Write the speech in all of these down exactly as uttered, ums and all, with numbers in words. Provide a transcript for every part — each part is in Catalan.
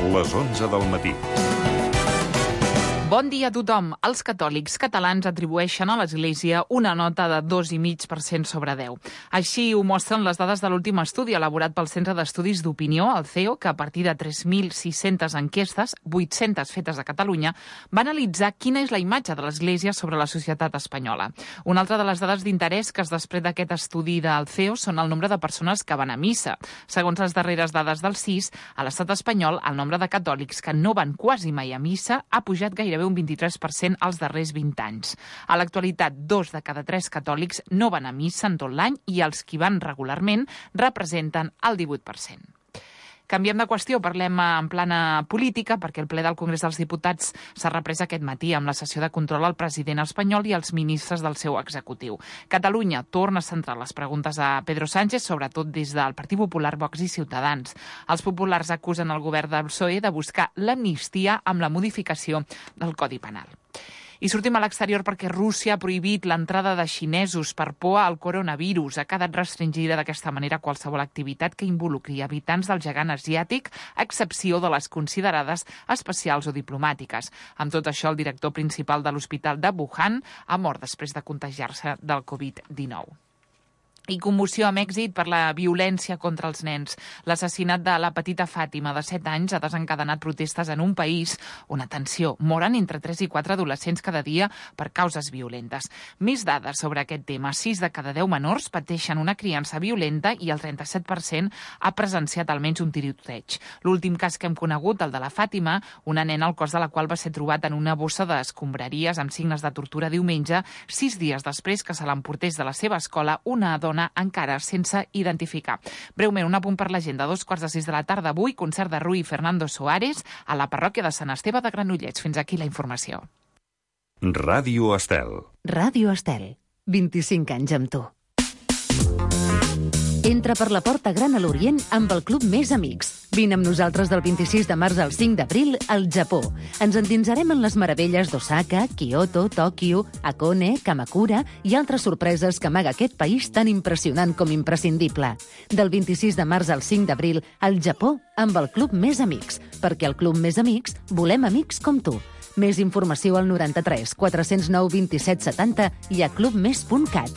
les onze del matí. Bon dia a tothom. Els catòlics catalans atribueixen a l'Església una nota de dos coma cinc per cent sobre deu. Així ho mostren les dades de l'últim estudi elaborat pel Centre d'Estudis d'Opinió, el C E O, que a partir de tres mil sis-centes enquestes, vuit-centes fetes a Catalunya, va analitzar quina és la imatge de l'Església sobre la societat espanyola. Una altra de les dades d'interès que es desprèn d'aquest estudi del C E O són el nombre de persones que van a missa. Segons les darreres dades del C I S, a l'estat espanyol, el nombre de catòlics que no van quasi mai a missa ha pujat gairebé un vint-i-tres per cent als darrers vint anys. A l'actualitat, dos de cada tres catòlics no van a missa en tot l'any i els qui van regularment representen el divuit per cent. Canviem de qüestió, parlem en plana política, perquè el ple del Congrés dels Diputats s'ha reprès aquest matí amb la sessió de control al president espanyol i als ministres del seu executiu. Catalunya torna a centrar les preguntes a Pedro Sánchez, sobretot des del Partit Popular, Vox i Ciutadans. Els populars acusen el govern del P S O E de buscar l'amnistia amb la modificació del Codi Penal. I sortim a l'exterior perquè Rússia ha prohibit l'entrada de xinesos per por al coronavirus. Ha quedat restringida d'aquesta manera qualsevol activitat que involucri habitants del gegant asiàtic, a excepció de les considerades especials o diplomàtiques. Amb tot això, el director principal de l'Hospital de Wuhan ha mort després de contagiar-se del covid dinou. I commoció a Mèxic per la violència contra els nens. L'assassinat de la petita Fàtima, de set anys, ha desencadenat protestes en un país on, atenció, moren entre tres i quatre adolescents cada dia per causes violentes. Més dades sobre aquest tema. sis de cada deu menors pateixen una criança violenta i el trenta-set per cent ha presenciat almenys un tiroteig. L'últim cas que hem conegut, el de la Fàtima, una nena el cos de la qual va ser trobat en una bossa d'escombraries amb signes de tortura diumenge, sis dies després que se l'emportés de la seva escola una dona encara sense identificar. Breument, un apunt per l'agenda. A dos quarts de sis de la tarda avui, concert de Rui Fernando Soares a la parròquia de Sant Esteve de Granollers. Fins aquí la informació. Ràdio Estel. Ràdio Estel. vint-i-cinc anys amb tu. Entra per la porta gran a l'Orient amb el Club Més Amics. Vine amb nosaltres del vint-i-sis de març al cinc d'abril al Japó. Ens endinsarem en les meravelles d'Osaka, Kyoto, Tòquio, Hakone, Kamakura i altres sorpreses que amaga aquest país tan impressionant com imprescindible. Del vint-i-sis de març al cinc d'abril al Japó amb el Club Més Amics, perquè al Club Més Amics volem amics com tu. Més informació al noranta-tres quatre-cents nou vint-i-set setanta i a clubmes punt cat.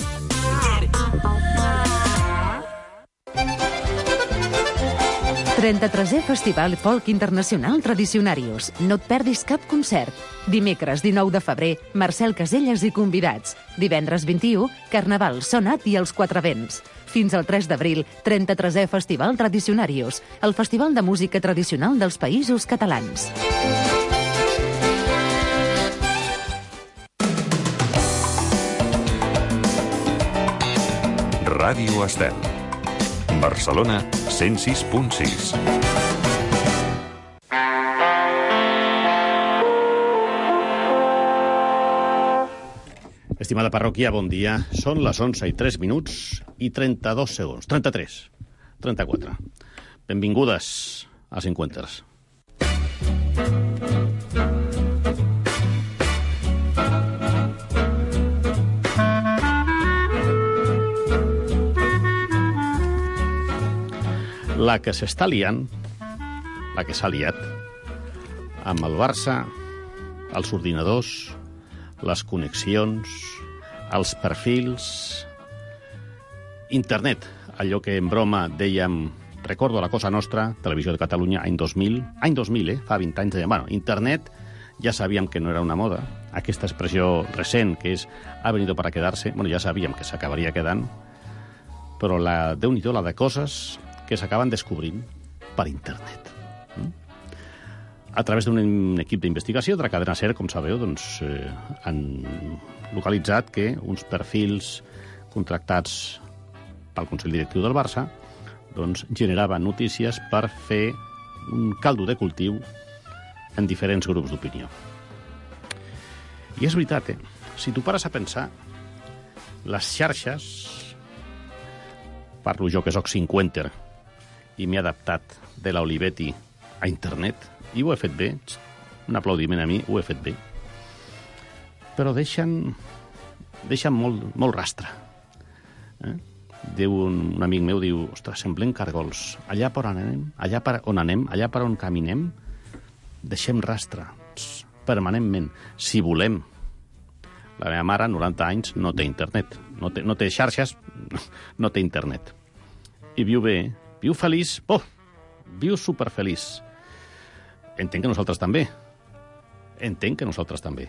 trenta-tresè Festival Folk Internacional Tradicionarius. No et perdis cap concert. Dimecres dinou de febrer, Marcel Caselles i convidats. Divendres vint-i-u, Carnaval, Sonat i els Quatre Vents. Fins al tres d'abril, trenta-tresè Festival Tradicionarius, el festival de música tradicional dels Països Catalans. Ràdio Estel. Barcelona, cent sis punt sis. Estimada parròquia, bon dia. Són les onze i tres minuts i trenta-dos segons. trenta-tres. trenta-quatre. Benvingudes a Cinquenters. La que s'està liant, la que s'ha liat, amb el Barça, els ordinadors, les connexions, els perfils, internet, allò que en broma dèiem, recordo la Cosa Nostra, Televisió de Catalunya, any dos mil, any dos mil, eh, fa vint anys, dèiem, bueno, internet, ja sabíem que no era una moda, aquesta expressió recent, que és, ha venido para quedarse, bueno, ja sabíem que s'acabaria quedant, però la, Déu-n'hi-do, la de coses que s'acaben descobrint per internet. A través d'un equip d'investigació de la cadena SER, com sabeu, doncs, eh, han localitzat que uns perfils contractats pel Consell Directiu del Barça doncs, generaven notícies per fer un caldo de cultiu en diferents grups d'opinió. I és veritat, eh? Si tu pares a pensar, les xarxes, parlo jo que soc cinquenter, i m'he adaptat de l'Olivetti a internet, i ho he fet bé, un aplaudiment a mi, ho he fet bé, però deixen, deixen molt, molt rastre. Eh? Diu un, un amic meu, diu, ostres, semblem cargols, allà per on anem, allà per on anem, allà per on caminem, deixem rastre, permanentment, si volem. La meva mare, noranta anys, no té internet. No té, no té xarxes, no té internet. I viu bé, viu feliç, oh, viu superfeliç. Entenc que nosaltres també. Entenc que nosaltres també.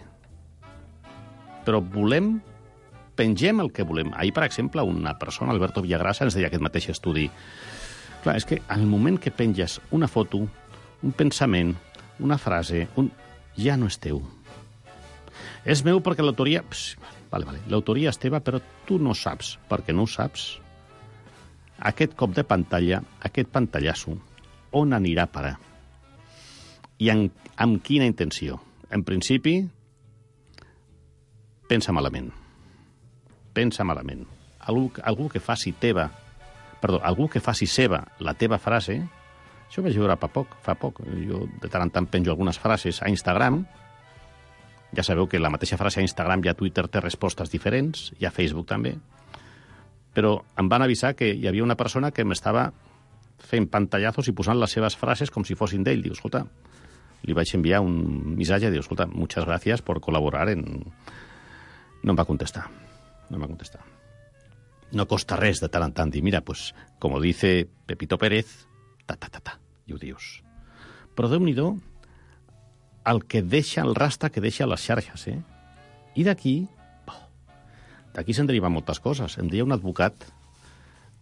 Però volem, pengem el que volem. Ahir, per exemple, una persona, Alberto Villagrasa, ens deia aquest mateix estudi. Clar, és que al moment que penges una foto, un pensament, una frase, un... ja no és teu. És meu perquè l'autoria... Pss, vale, vale, l'autoria és teva, però tu no saps, perquè no ho saps. Aquest cop de pantalla, aquest pantallasso, on anirà a parar? I en, amb quina intenció? En principi, pensa malament. Pensa malament. Algú, algú que faci teva, perdó, algú que faci seva la teva frase, això ho vaig veure fa poc, fa poc. Jo de tant en tant penjo algunes frases a Instagram. Ja sabeu que la mateixa frase a Instagram i a Twitter té respostes diferents, i a Facebook també. Però em van avisar que hi havia una persona que m'estava fent pantallazos i posant les seves frases com si fossin d'ell. Diu, escolta, li vaig enviar un missatge, diu, escolta, muchas gracias por colaborar en... No em va contestar. No em va contestar. No costa res de tant en tant dir, mira, pues, como dice Pepito Pérez, ta, ta, ta, ta, i ho dius. Però Déu-n'hi-do el que deixa, el rastre que deixa les xarxes, eh? I d'aquí, oh, d'aquí se'n deriven moltes coses. Em deia un advocat,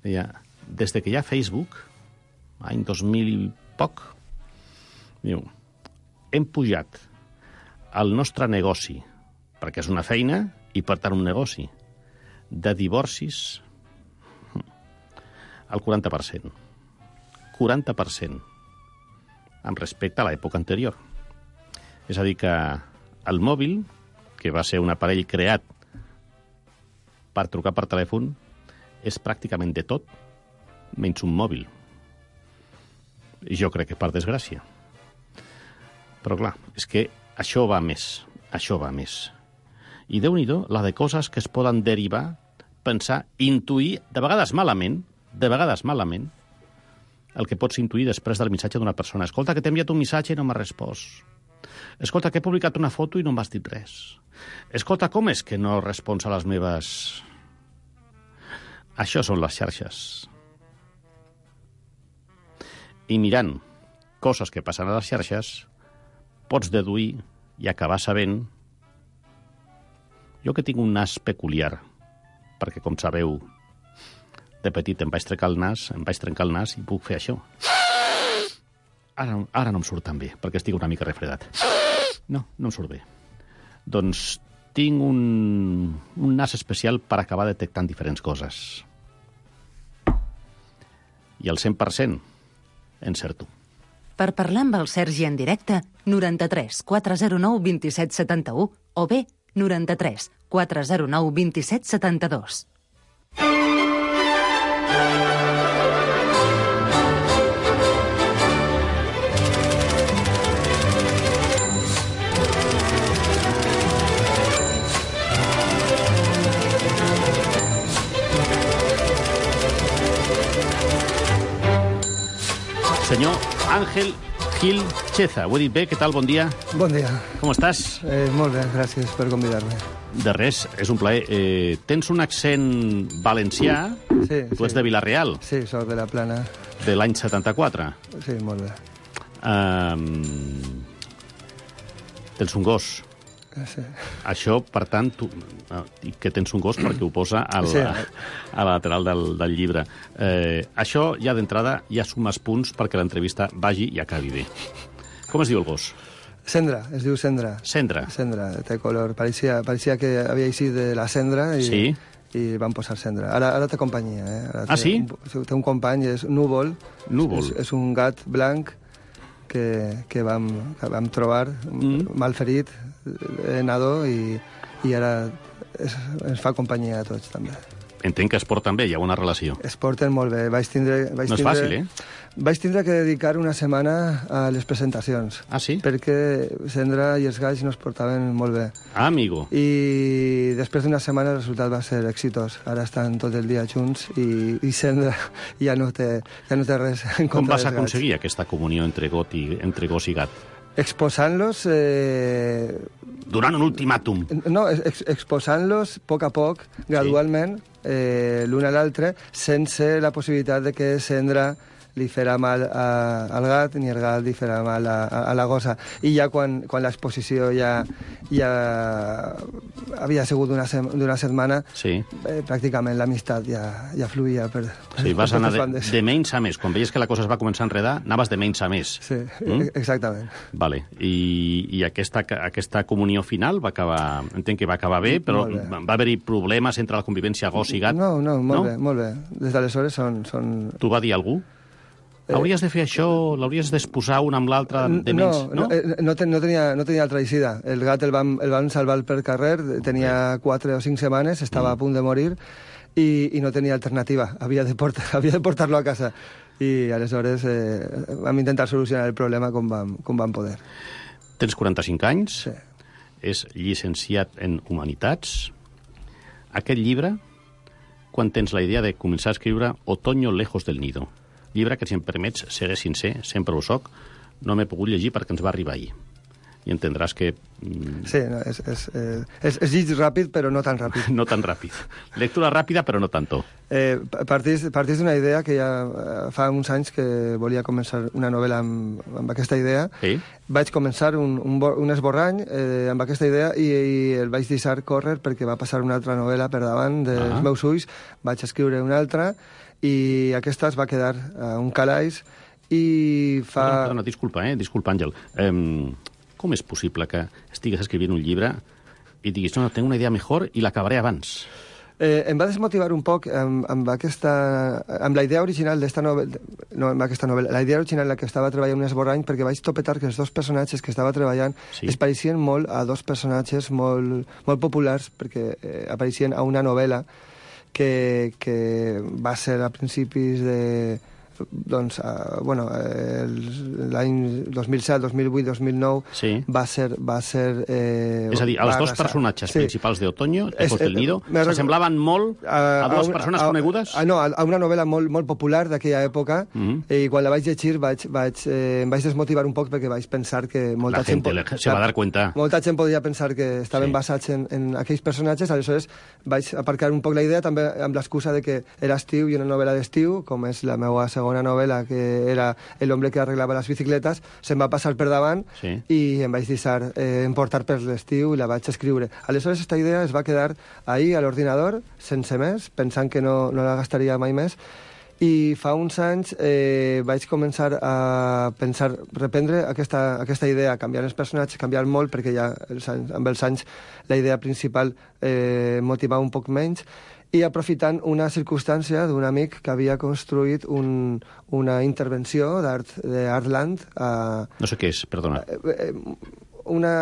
deia, des que hi ha Facebook, any dos mil i poc, diu, hem pujat el nostre negoci, perquè és una feina i per tant un negoci, de divorcis al quaranta per cent. quaranta per cent amb respecte a l'època anterior. És a dir, que el mòbil, que va ser un aparell creat per trucar per telèfon, és pràcticament de tot, menys un mòbil. I jo crec que per desgràcia. Però clar, és que això va més, això va més. I Déu-n'hi-do la de coses que es poden derivar, pensar, intuir, de vegades malament, de vegades malament, el que pots intuir després del missatge d'una persona. Escolta, que t'he enviat un missatge i no m'ha respost. Escolta, que he publicat una foto i no m'has dit res. Escolta, com és que no respons a les meves... Això són les xarxes. I mirant coses que passen a les xarxes, pots deduir i acabar sabent... Jo que tinc un nas peculiar, perquè, com sabeu, de petit em vaig trencar el nas, em vaig trencar el nas i puc fer això. Ara, ara no em surt tan bé, perquè estic una mica refredat. No, no em surt bé. Doncs tinc un, un nas especial per acabar detectant diferents coses. I el cent per cent encerto. Per parlar amb el Sergi en directe, noranta-tres quatre zero nou dos set set u o bé noranta-tres quatre zero nou dos set set dos. Senyor Àngel Gil Cheza, ho he dit bé? Què tal? Bon dia. Bon dia. Com estàs? Eh, molt bé, gràcies per convidar-me. De res, és un plaer. Eh, tens un accent valencià? Sí, tu sí. ets de Vila-real? Sí, soc de la Plana. De l'any setanta-quatre? Sí, molt bé. Um, tens un gos? Sí. Això, per tant, tu, dic que tens un gos perquè ho posa al, Sí. a, a la lateral del, del llibre. Eh, això, ja d'entrada, ja sumes punts perquè l'entrevista vagi i acabi bé. Com es diu el gos? Cendra, es diu Cendra. Cendra. Cendra, té color. Pareixia, pareixia que havia eixit de la cendra i, Sí. i van posar Cendra. Ara, ara té companyia. Eh? Ara Ah, té sí? Un, té un company, és Núvol. Núvol. És, és un gat blanc que, que, vam, que vam trobar Mm. malferit, eh, nadó, i, i ara es, ens fa companyia a tots, també. Entenc que es porten bé, hi ha una relació. Es porten molt bé. Vaig tindre, vaig No és tindre, fàcil, eh? Vaig tindre que dedicar una setmana a les presentacions. Ah, sí? Perquè Cendra i els galls no es portaven molt bé. Ah, amigo. I després d'una setmana el resultat va ser exitós. Ara estan tot el dia junts i, i Cendra ja no té, ja no té res en Com contra vas dels aconseguir aquesta comunió entre, got i, entre gos i gat? gats. exposant-los... Eh... Donant un ultimàtum. No, ex exposant-los a poc a poc, gradualment, sí. eh, l'un a l'altre, sense la possibilitat de que Cendra li farà mal a, al gat ni el gat li farà mal a, a, a la gossa. I ja quan, quan l'exposició ja, ja havia sigut d'una setmana, sí. eh, pràcticament l'amistat ja, ja fluïa per, per sí, vas anar de, de menys a més. Quan veies que la cosa es va començar a enredar, anaves de menys a més. Sí, mm? exactament. Vale. I, i aquesta, aquesta comunió final va acabar, entenc que va acabar bé, però bé. Va haver-hi problemes entre la convivència gos i gat? No, no, molt no? bé, molt bé. Des d'aleshores són... són... T'ho va dir algú? Hauries de fer això, l'hauries d'exposar un amb l'altre de menys, no? No, no, no, ten, no, tenia, no tenia altra eixida. El gat el van, el van salvar per carrer, tenia quatre o cinc setmanes, estava mm. a punt de morir i, i no tenia alternativa. Havia de, portar, havia de portar-lo a casa. I aleshores eh, vam intentar solucionar el problema com vam, com vam poder. Tens quaranta-cinc anys, sí. És llicenciat en Humanitats. Aquest llibre, quan tens la idea de començar a escriure Otoño lejos del nido, llibre que, si em permets, seré sincer, sempre ho soc, no m'he pogut llegir perquè ens va arribar ahir. I entendràs que... Mm... Sí, no, és, és, és, és llig ràpid, però no tan ràpid. No tan ràpid. Lectura ràpida, però no tanto. Eh, partís partís d'una idea que ja fa uns anys que volia començar una novel·la amb, amb aquesta idea. Sí? Vaig començar un, un, un esborrany eh, amb aquesta idea i, i el vaig deixar córrer perquè va passar una altra novel·la per davant dels ah. meus ulls. Vaig escriure una altra i aquesta es va quedar a un calaix i fa... Perdona, perdona, disculpa, eh? Disculpa, Àngel. Um, com és possible que estigues escrivint un llibre i diguis, no, no, tengo una idea millor i l'acabaré abans? Eh, em va desmotivar un poc amb, amb, aquesta, amb la idea original d'esta novel·la, no, amb aquesta novel·la, la idea original en la que estava treballant un esborrany, perquè vaig topetar que els dos personatges que estava treballant sí. es pareixien molt a dos personatges molt, molt populars, perquè eh, apareixien a una novel·la que, que va ser a principis de... doncs, uh, bueno, l'any dos mil set, dos mil vuit, dos mil nou sí. va ser... Va ser eh, és a dir, els dos personatges sí. principals de Otoño, Lejos del Nido, eh, s'assemblaven molt a, a dues a, persones a, conegudes? A, no, a una novel·la molt, molt popular d'aquella època, mm -hmm. i quan la vaig llegir vaig, vaig, eh, em vaig desmotivar un poc perquè vaig pensar que molta la gent... La gent se va dar cuenta. Molta gent podia pensar que estaven sí. basats en, en aquells personatges, aleshores vaig aparcar un poc la idea, també amb l'excusa de que era estiu i una novel·la d'estiu, com és la meva segona una novel·la que era El hombre que arreglava les bicicletes, se'm va passar per davant sí. i em vaig deixar eh, emportar per l'estiu i la vaig escriure. Aleshores, aquesta idea es va quedar ahí a l'ordinador, sense més, pensant que no, no la gastaria mai més, i fa uns anys eh, vaig començar a pensar, reprendre aquesta, aquesta idea, canviar els personatges, canviar molt, perquè ja els anys, amb els anys la idea principal eh, motivava un poc menys, i aprofitant una circumstància d'un amic que havia construït un, una intervenció d'Artland. A, no sé què és, perdona. Una,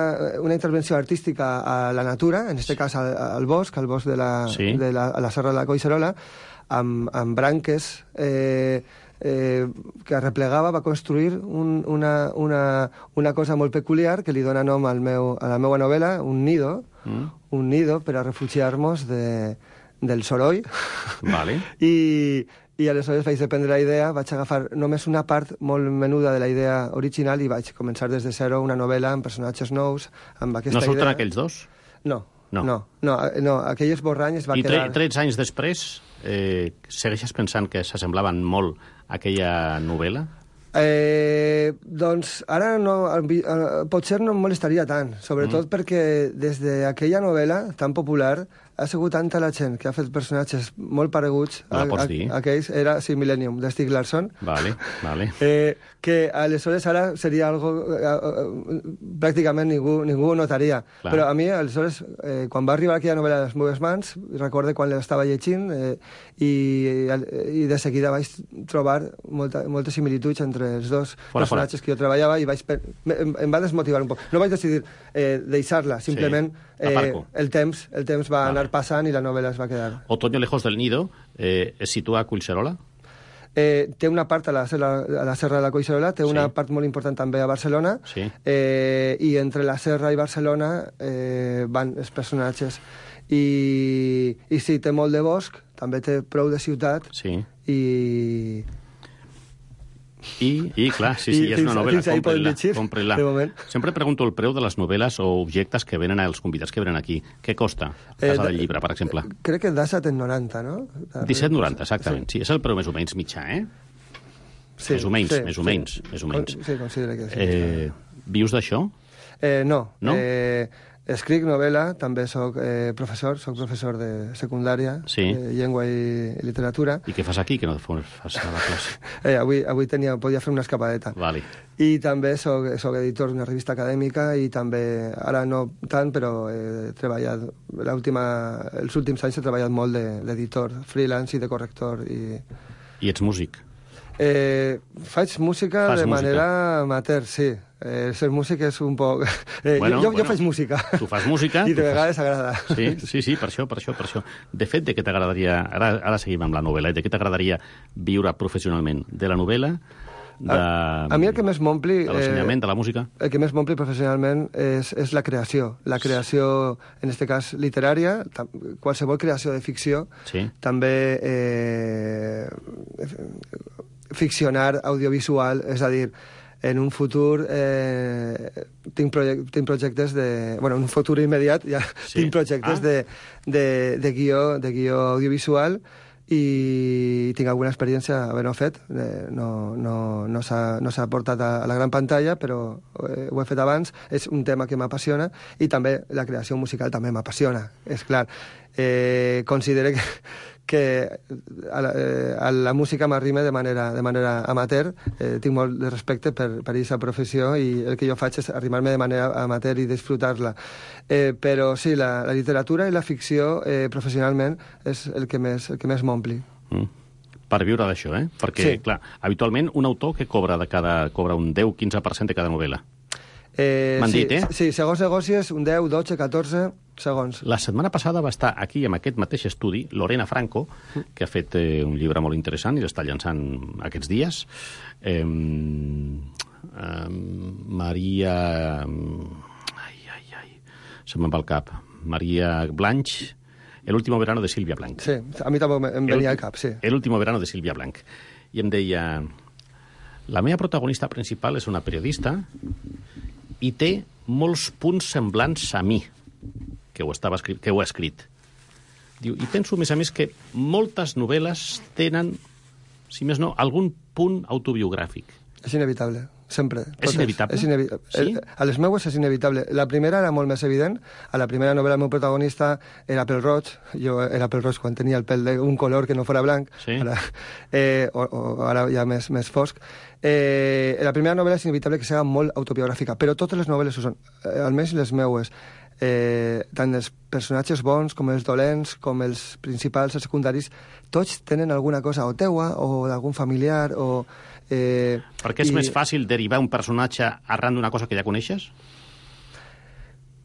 una intervenció artística a la natura, en aquest sí. cas al, al bosc, al bosc de la, sí. de la, a la Serra de la Collserola, amb, amb branques eh, eh, que arreplegava, va construir un, una, una, una cosa molt peculiar que li dona nom al meu, a la meva novel·la, un nido, mm. un nido per a refugiar-nos de... del soroll. Vale. I, i aleshores vaig dependre la idea, vaig agafar només una part molt menuda de la idea original i vaig començar des de zero una novel·la amb personatges nous, amb aquesta idea. No surten idea. Aquells dos? No, no, no, no, no aquell esborrany es va I quedar... I tretze anys després, eh, segueixes pensant que s'assemblaven molt a aquella novel·la? Eh, doncs ara no, potser no em molestaria tant, sobretot mm. perquè des d'aquella novel·la tan popular ha sigut tanta la gent que ha fet personatges molt pareguts a, a, a aquells, era sí, Millennium, de Stieg Larsson, vale, vale. Eh, que aleshores ara seria algo eh, eh, pràcticament ningú, ningú ho notaria. Clar. Però a mi, aleshores, eh, quan va arribar aquella novel·la a les meves mans, recorde quan l'estava llegint eh, i, i de seguida vaig trobar molta, moltes similituds entre els dos fora, personatges fora. que jo treballava i vaig, em, em va desmotivar un poc. No vaig decidir eh, deixar-la, simplement sí. eh, el temps, el temps va vale. anar passant i la novel·la es va quedar. Otoño lejos del nido eh, es situa a Collserola? Eh, té una part a la, a la Serra de la Collserola, té sí. una part molt important també a Barcelona, sí. eh, i entre la Serra i Barcelona eh, van els personatges. I, I sí, té molt de bosc, també té prou de ciutat, sí. i... I, i clar, sí, sí, I és una fins- novel·la, fins ahí podem compre-la, llegir, compre-la. de moment. Sempre pregunto el preu de les novel·les o objectes que venen als convidats que venen aquí. Què costa? Eh, Casa de- del Llibre, per exemple. Crec que Dassault en noranta, no? disset noranta, exactament. Sí, és el preu més o menys mitjà, eh? Sí, més o menys, sí, més o sí. menys, més o menys. Con- Sí, considero que sí. Eh, vius d'això? Eh, no. No? Eh, escric novel·la, també sóc eh, professor, sóc professor de secundària, Sí. eh, llengua i literatura. I què fas aquí, que no fas a la classe? Eh, avui avui tenia, podia fer una escapadeta. Vale. I també soc, soc editor d'una revista acadèmica i també, ara no tant, però he treballat, l'última, els últims anys he treballat molt de- d'editor, freelance i de corrector. I, I ets músic? eh, faig música Fas de música. manera amateur, sí. Eh, ser músic és un poc... Eh, Bueno, jo, jo, bueno. jo faig música. Tu fas música, I de tu fas- vegades agrada. Sí, sí, sí, per això, per això, per això. De fet, de què t'agradaria... Ara, ara seguim amb la novel·la. De què t'agradaria viure professionalment? De la novel·la? De... A, a mi el que més m'ompli... De l'ensenyament, de la música? El que més m'ompli professionalment és, és la creació. La creació, en aquest cas, literària, tam- qualsevol creació de ficció, Sí. també eh, ficcionar audiovisual, és a dir, en un futur eh, tinc, projec tinc projectes de... Bueno, en un futur immediat ja Sí. tinc projectes Ah. de, de, de, guió, de guió audiovisual i tinc alguna experiència havent-ho fet. Eh, no no, no s'ha no s'ha portat a, a la gran pantalla, però eh, ho he fet abans. És un tema que m'apassiona i també la creació musical també m'apassiona, és clar. Eh, considero que, que a la, eh, a la música m'arrima de manera, de manera amateur. Eh, tinc molt de respecte per, per aquesta professió i el que jo faig és arrimar-me de manera amateur i disfrutar-la. Eh, però sí, la, la literatura i la ficció eh, professionalment és el que més, el que més m'ompli. Mm. Per viure d'això, eh? Perquè, Sí. clar, habitualment un autor que cobra de cada cobra un deu a quinze per cent de cada novel·la. Eh, M'han sí, dit, eh? Sí, segons negocis, un deu, dotze, catorze segons. La setmana passada va estar aquí, amb aquest mateix estudi, Lorena Franco, que ha fet eh, un llibre molt interessant i l'està llançant aquests dies. Eh, eh, Maria... Ai, ai, ai... Se me'n va al cap. Maria Blanch, El último verano de Sílvia Blanch. Sí, a mi també em venia al cap, sí. El último verano de Sílvia Blanch. I em deia... La meva protagonista principal és una periodista i té molts punts semblants a mi, que ho, estava escrit, que ho ha escrit. Diu, i penso, a més a més, que moltes novel·les tenen, si més no, algun punt autobiogràfic. És inevitable, sempre. És inevitable? És inevi Sí? el, a les meues és inevitable. La primera era molt més evident. A la primera novel·la el meu protagonista era pèl roig. Jo era pèl roig quan tenia el pèl d'un color que no fora blanc. Sí. Ara, eh, o, o ara ja més, més fosc. Eh, la primera novel·la és inevitable que sigui molt autobiogràfica, però totes les novel·les ho són, eh, almenys les meues. Eh, tant els personatges bons com els dolents, com els principals, els secundaris, tots tenen alguna cosa o teua o d'algun familiar o... Eh, Perquè és i- més fàcil derivar un personatge arran d'una cosa que ja coneixes?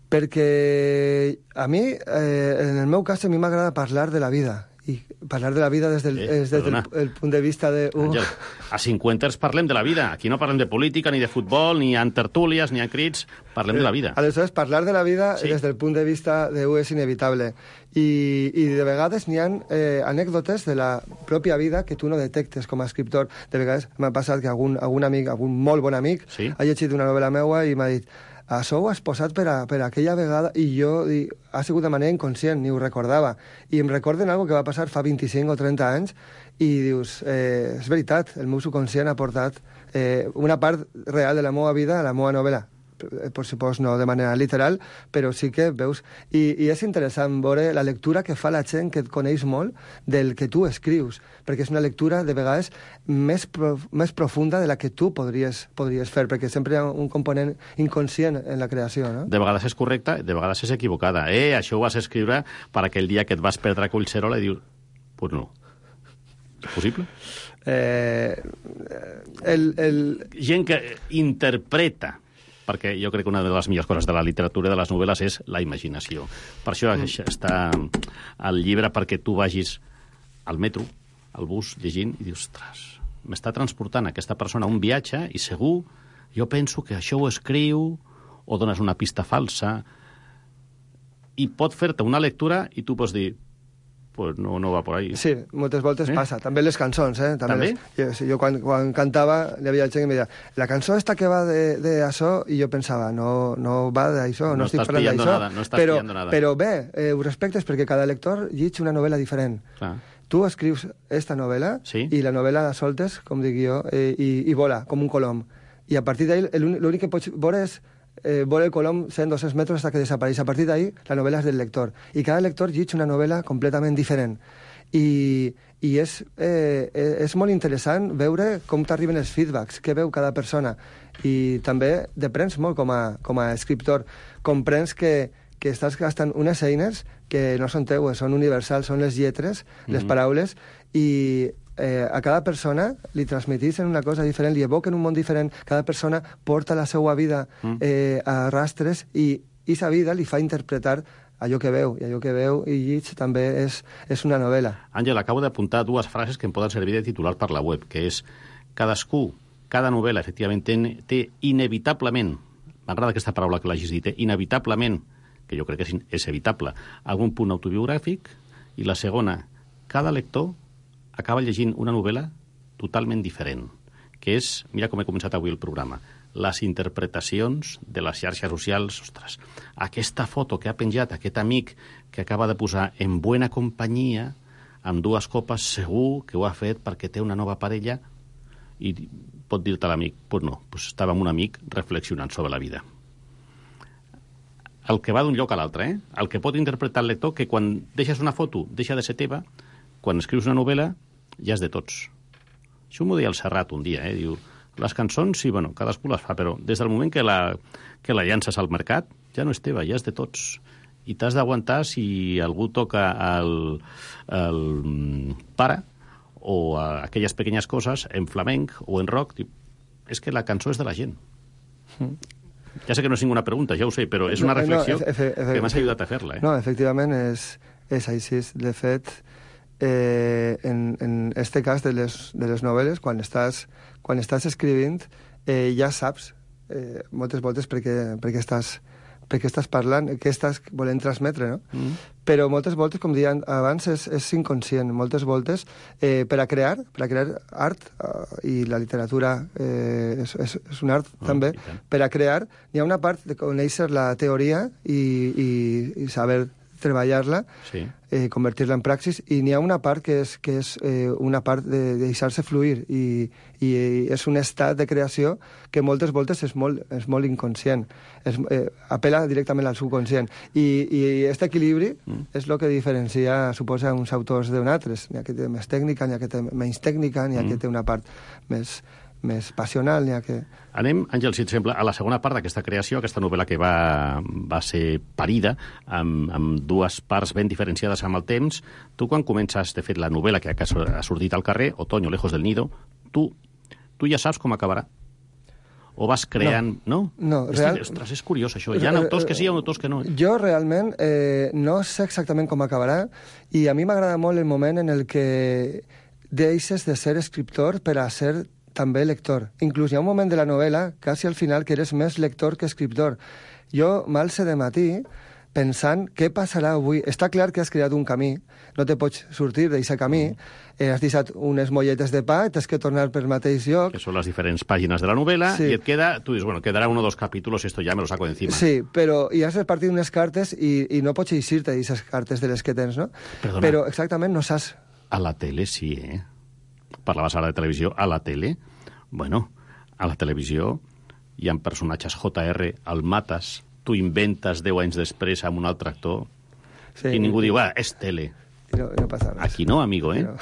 Perquè a mi, eh, en el meu cas, a mi m'agrada parlar de la vida. I parlar de la vida des del, Eh, eh, des del perdona. el punt de vista de... Uh, Àngel, a cinquanters parlem de la vida. Aquí no parlem de política, ni de futbol, ni en tertúlies, ni en crits. Parlem de la vida. Aleshores, parlar de la vida Sí. sí. des del punt de vista de U és inevitable. I, i de vegades n'hi ha eh, anècdotes de la pròpia vida que tu no detectes com a escriptor. De vegades m'ha passat que algun, algun amic, algun molt bon amic, Sí. ha llegit una novel·la meua i m'ha dit això ho has posat per, a, per aquella vegada i jo di, ha sigut de manera inconscient, ni ho recordava. I em recorden algo que va passar fa vint-i-cinc o trenta anys i dius, eh, és veritat, el meu subconscient ha portat eh, una part real de la meva vida a la meva novel·la. Per supòs no de manera literal, però sí que veus... I, I és interessant veure la lectura que fa la gent que et coneix molt del que tu escrius, perquè és una lectura de vegades més, prof, més profunda de la que tu podries, podries fer, perquè sempre hi ha un component inconscient en la creació, no? De vegades és correcta, de vegades és equivocada. Eh, això ho vas escriure per aquell dia que et vas perdre a Collserola i dius, pues no. És possible? Eh, el, el, Gent que interpreta, perquè jo crec que una de les millors coses de la literatura i de les novel·les és la imaginació. Per això mm. està al llibre, perquè tu vagis al metro, al bus, llegint, i dius, ostres, m'està transportant aquesta persona a un viatge i segur, jo penso que això ho escriu o dones una pista falsa i pot fer-te una lectura i tu pots dir, pues no, no va por ahí. Sí, moltes voltes Eh? passa. També les cançons, eh? També? Les, jo, sí, jo quan, quan cantava, hi havia gent que em deia la cançó esta que va de, de això, i jo pensava, no, no va d'això, no, No no estic estàs parlant pillando d'això. nada, no estàs però, pillando nada. però bé, eh, ho respectes perquè cada lector llig una novel·la diferent. Clar. Tu escrius esta novel·la Sí. i la novel·la la soltes, com dic jo, eh, i, i vola, com un colom. I a partir d'ahí, l'únic que pots veure és eh, vola el colom cent o doscientos metres hasta que desapareix. A partir d'ahí, la novel·la és del lector. I cada lector llig una novel·la completament diferent. I, i és, eh, és molt interessant veure com t'arriben els feedbacks, què veu cada persona. I també deprens molt com a, com a escriptor. Comprens que, que estàs gastant unes eines que no són teues, són universals, són les lletres, les Mhm. paraules, i eh, a cada persona li transmetixen una cosa diferent, li evoquen un món diferent, cada persona porta la seva vida eh, a rastres i aquesta vida li fa interpretar allò que veu, i allò que veu i llig també és, és una novel·la. Àngel, acabo d'apuntar dues frases que em poden servir de titular per la web, que és cadascú, cada novel·la, efectivament, té, té inevitablement, m'agrada aquesta paraula que l'hagis dit, eh? inevitablement, que jo crec que és, és evitable, algun punt autobiogràfic, i la segona, cada lector acaba llegint una novel·la totalment diferent, que és, mira com he començat avui el programa, les interpretacions de les xarxes socials. Ostres, aquesta foto que ha penjat aquest amic que acaba de posar en buena companyia, amb dues copes, segur que ho ha fet perquè té una nova parella, i pot dir-te l'amic, pues no, pues estava amb un amic reflexionant sobre la vida. El que va d'un lloc a l'altre, eh? El que pot interpretar el lector, que quan deixes una foto deixa de ser teva, quan escrius una novel·la ja és de tots. Això m'ho deia el Serrat un dia, eh? Diu, les cançons, sí, bueno, cadascú les fa, però des del moment que la, que la llances al mercat, ja no és teva, ja és de tots. I t'has d'aguantar si algú toca el, el para o a aquelles pequeñas coses en flamenc o en rock. Diu, és que la cançó és de la gent. Mm. Ja sé que no és ninguna pregunta, ja ho sé, però és una reflexió no, efe, efe, que m'has ajudat a fer-la. Eh? No, efectivament, és, és així. De fet, eh, en, en este cas de les, de les novel·les, quan estàs, quan estàs escrivint, eh, ja saps eh, moltes voltes perquè, perquè, estàs, perquè estàs parlant, què estàs volent transmetre, no? Mm. Però moltes voltes, com deia abans, és, és inconscient. Moltes voltes, eh, per a crear, per a crear art, eh, i la literatura eh, és, és, és un art oh, també, per a crear, hi ha una part de conèixer la teoria i, i, i saber treballar-la, sí. eh, convertir-la en praxis, i n'hi ha una part que és, que és eh, una part de, de deixar-se fluir, i, i és un estat de creació que moltes voltes és molt, és molt inconscient, és, eh, apela directament al subconscient, i, i aquest equilibri mm. és el que diferencia, suposa, uns autors d'un altres. N'hi ha que té més tècnica, n'hi ha que té menys tècnica, n'hi ha mm. que té una part més... més passional, n'hi ha que... Anem, Àngel, si et sembla, a la segona part d'aquesta creació, aquesta novel·la que va, va ser parida, amb, amb dues parts ben diferenciades amb el temps. Tu, quan comences, de fet, la novel·la que ha sortit al carrer, Otoño, lejos del nido, tu, tu ja saps com acabarà? O vas creant... No? No, és, real... ostres, és curiós, això. Hi ha autors que sí, hi ha autors que no. Jo, realment, eh, no sé exactament com acabarà, i a mi m'agrada molt el moment en el que deixes de ser escriptor per a ser també lector. Inclús hi ha un moment de la novel·la, quasi al final, que eres més lector que escriptor. Jo m'alce de matí pensant què passarà avui. Està clar que has creat un camí, no te pots sortir d'aquest camí, eh, has deixat unes molletes de pa, t'has que tornar per mateix lloc. Que són les diferents pàgines de la novel·la, sí. I et queda, tu dius, bueno, quedarà uno o dos capítulos, esto ya me lo saco de encima. Sí, però hi has repartit unes cartes i, i no pots eixir-te d'aquestes cartes de les que tens, no? Perdona. Però exactament no saps... A la tele sí, eh? Parlaves ara de televisió, a la tele, bueno, a la televisió hi ha personatges J R, el mates, tu inventes deu anys després amb un altre actor, sí, i ningú diu, ah, és tele. I no, no passa res. Aquí no, amigo, eh? No.